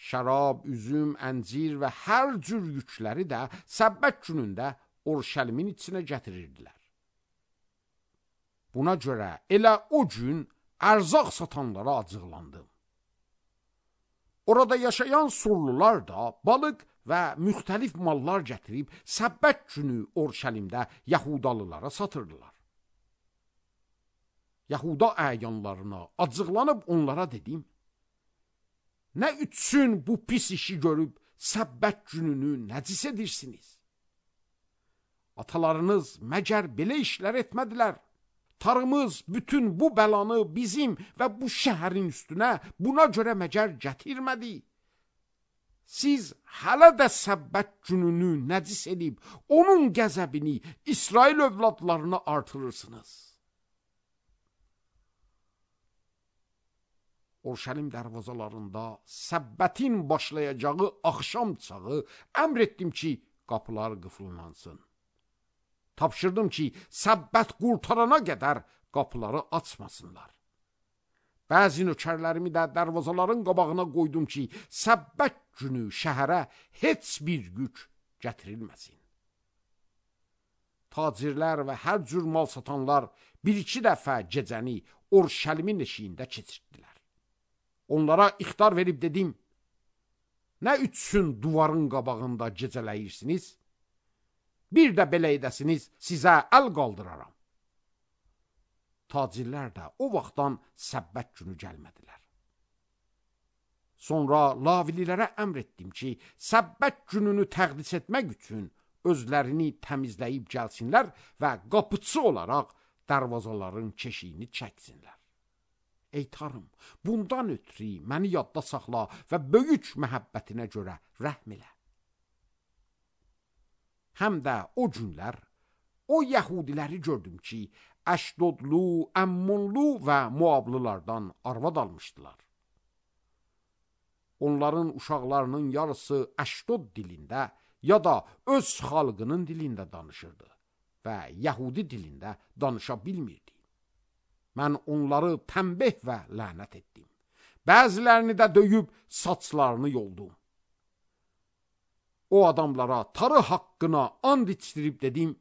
Şərab, üzüm, əncir və hər cür yükləri də səbbət günündə Urşəlimin içinə gətirirdilər. Buna görə elə o gün ərzaq satanlara acıqlandım. Orada yaşayan surlular da balıq və müxtəlif mallar gətirib səbbət günü Urşəlimdə Yahudalılara satırdılar. Yahuda əyanlarına acıqlanıb onlara dedim, nə üçün bu pis işi görüb səbbət gününü nəcis edirsiniz? Atalarınız məgər belə işlər etmədilər? Tarımız bütün bu bəlanı bizim və bu şəhərin üstünə buna görə məgər gətirmədi? Siz hələ də səbbət gününü nəcis edib, onun qəzəbini İsrail övladlarına artırırsınız. Urşəlim dərvazalarında səbbətin başlayacağı axşam çağı əmr etdim ki, qapılar qıfıllansın. Tapşırdım ki, səbbət qurtarana qədər qapıları açmasınlar. Bəzi nökərlərimi də dərvazaların qabağına qoydum ki, səbbət günü şəhərə heç bir yük gətirilməsin. Tacirlər və hər cür mal satanlar bir-iki dəfə gecəni Urşəlimin eşiyində keçirdilər. Onlara ixtar verib dedim, nə üçün duvarın qabağında gecələyirsiniz? Bir də belə edəsiniz, sizə əl qaldıraram. Tacirlər də o vaxtdan səbbət günü gəlmədilər. Sonra lavililərə əmr etdim ki, səbbət gününü təqdis etmək üçün özlərini təmizləyib gəlsinlər və qapıçı olaraq dərvazaların keşiyini çəksinlər. Ey tarım, bundan ötürü məni yadda saxla və böyük məhəbbətinə görə rəhm elə. Həm də o günlər o Yahudiləri gördüm ki, Əşdodlu, Əmmonlu və Moablılardan arvad almışdılar. Onların uşaqlarının yarısı Əşdod dilində ya da öz xalqının dilində danışırdı və Yahudi dilində danışa bilmirdi. Mən onları tənbih və lənət etdim. Bəzilərini də döyüb saçlarını yoldum. O adamlara tarı haqqına and içdirib dedim,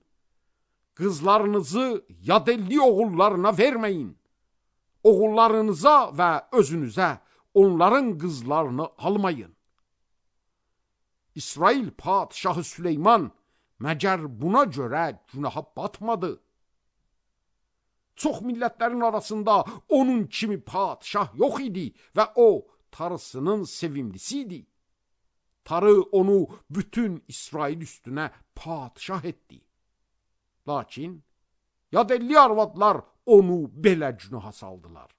qızlarınızı yadelli oğullarına verməyin. Oğullarınıza və özünüzə onların qızlarını almayın. İsrail padişahı Süleyman məgər buna görə günaha batmadı? Çox millətlərin arasında onun kimi padişah yox idi və o tarısının sevimlisi idi. Tarı onu bütün İsrail üstünə padişah etdi. Lakin yadelli arvadlar onu belə günaha saldılar.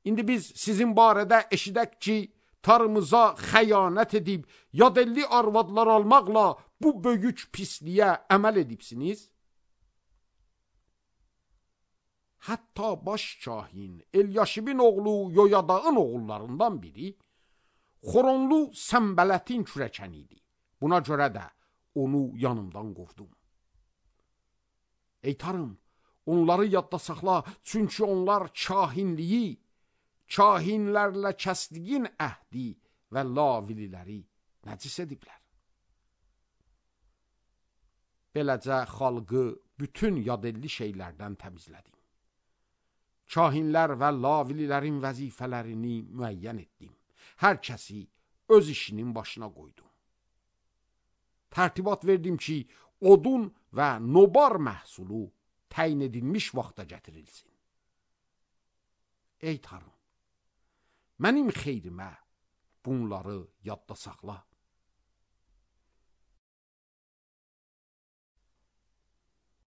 İndi biz sizin barədə eşidək ki, tarımıza xəyanət edib yadelli arvadlar almaqla bu böyük pisliyə əməl edibsiniz. Hətta baş kahin Elyaşibin oğlu Yoyadağın oğullarından biri Xoronlu Səmbələtin kürəkəni idi. Buna görə də onu yanımdan qovdum. Ey tarım, onları yadda saxla, çünki onlar kahinliyi, kahinlərlə kəsdiyin əhdi və lavililəri nəcis ediblər. Beləcə xalqı bütün yadelli şeylərdən təmizlədim. Kahinlər və lavililərin vəzifələrini müəyyən etdim. Hər kəsi öz işinin başına qoydum. Tərtibat verdim ki, odun və nobar məhsulu təyin edilmiş vaxta gətirilsin. Ey tarım, mənim xeyrimə bunları yadda saxla.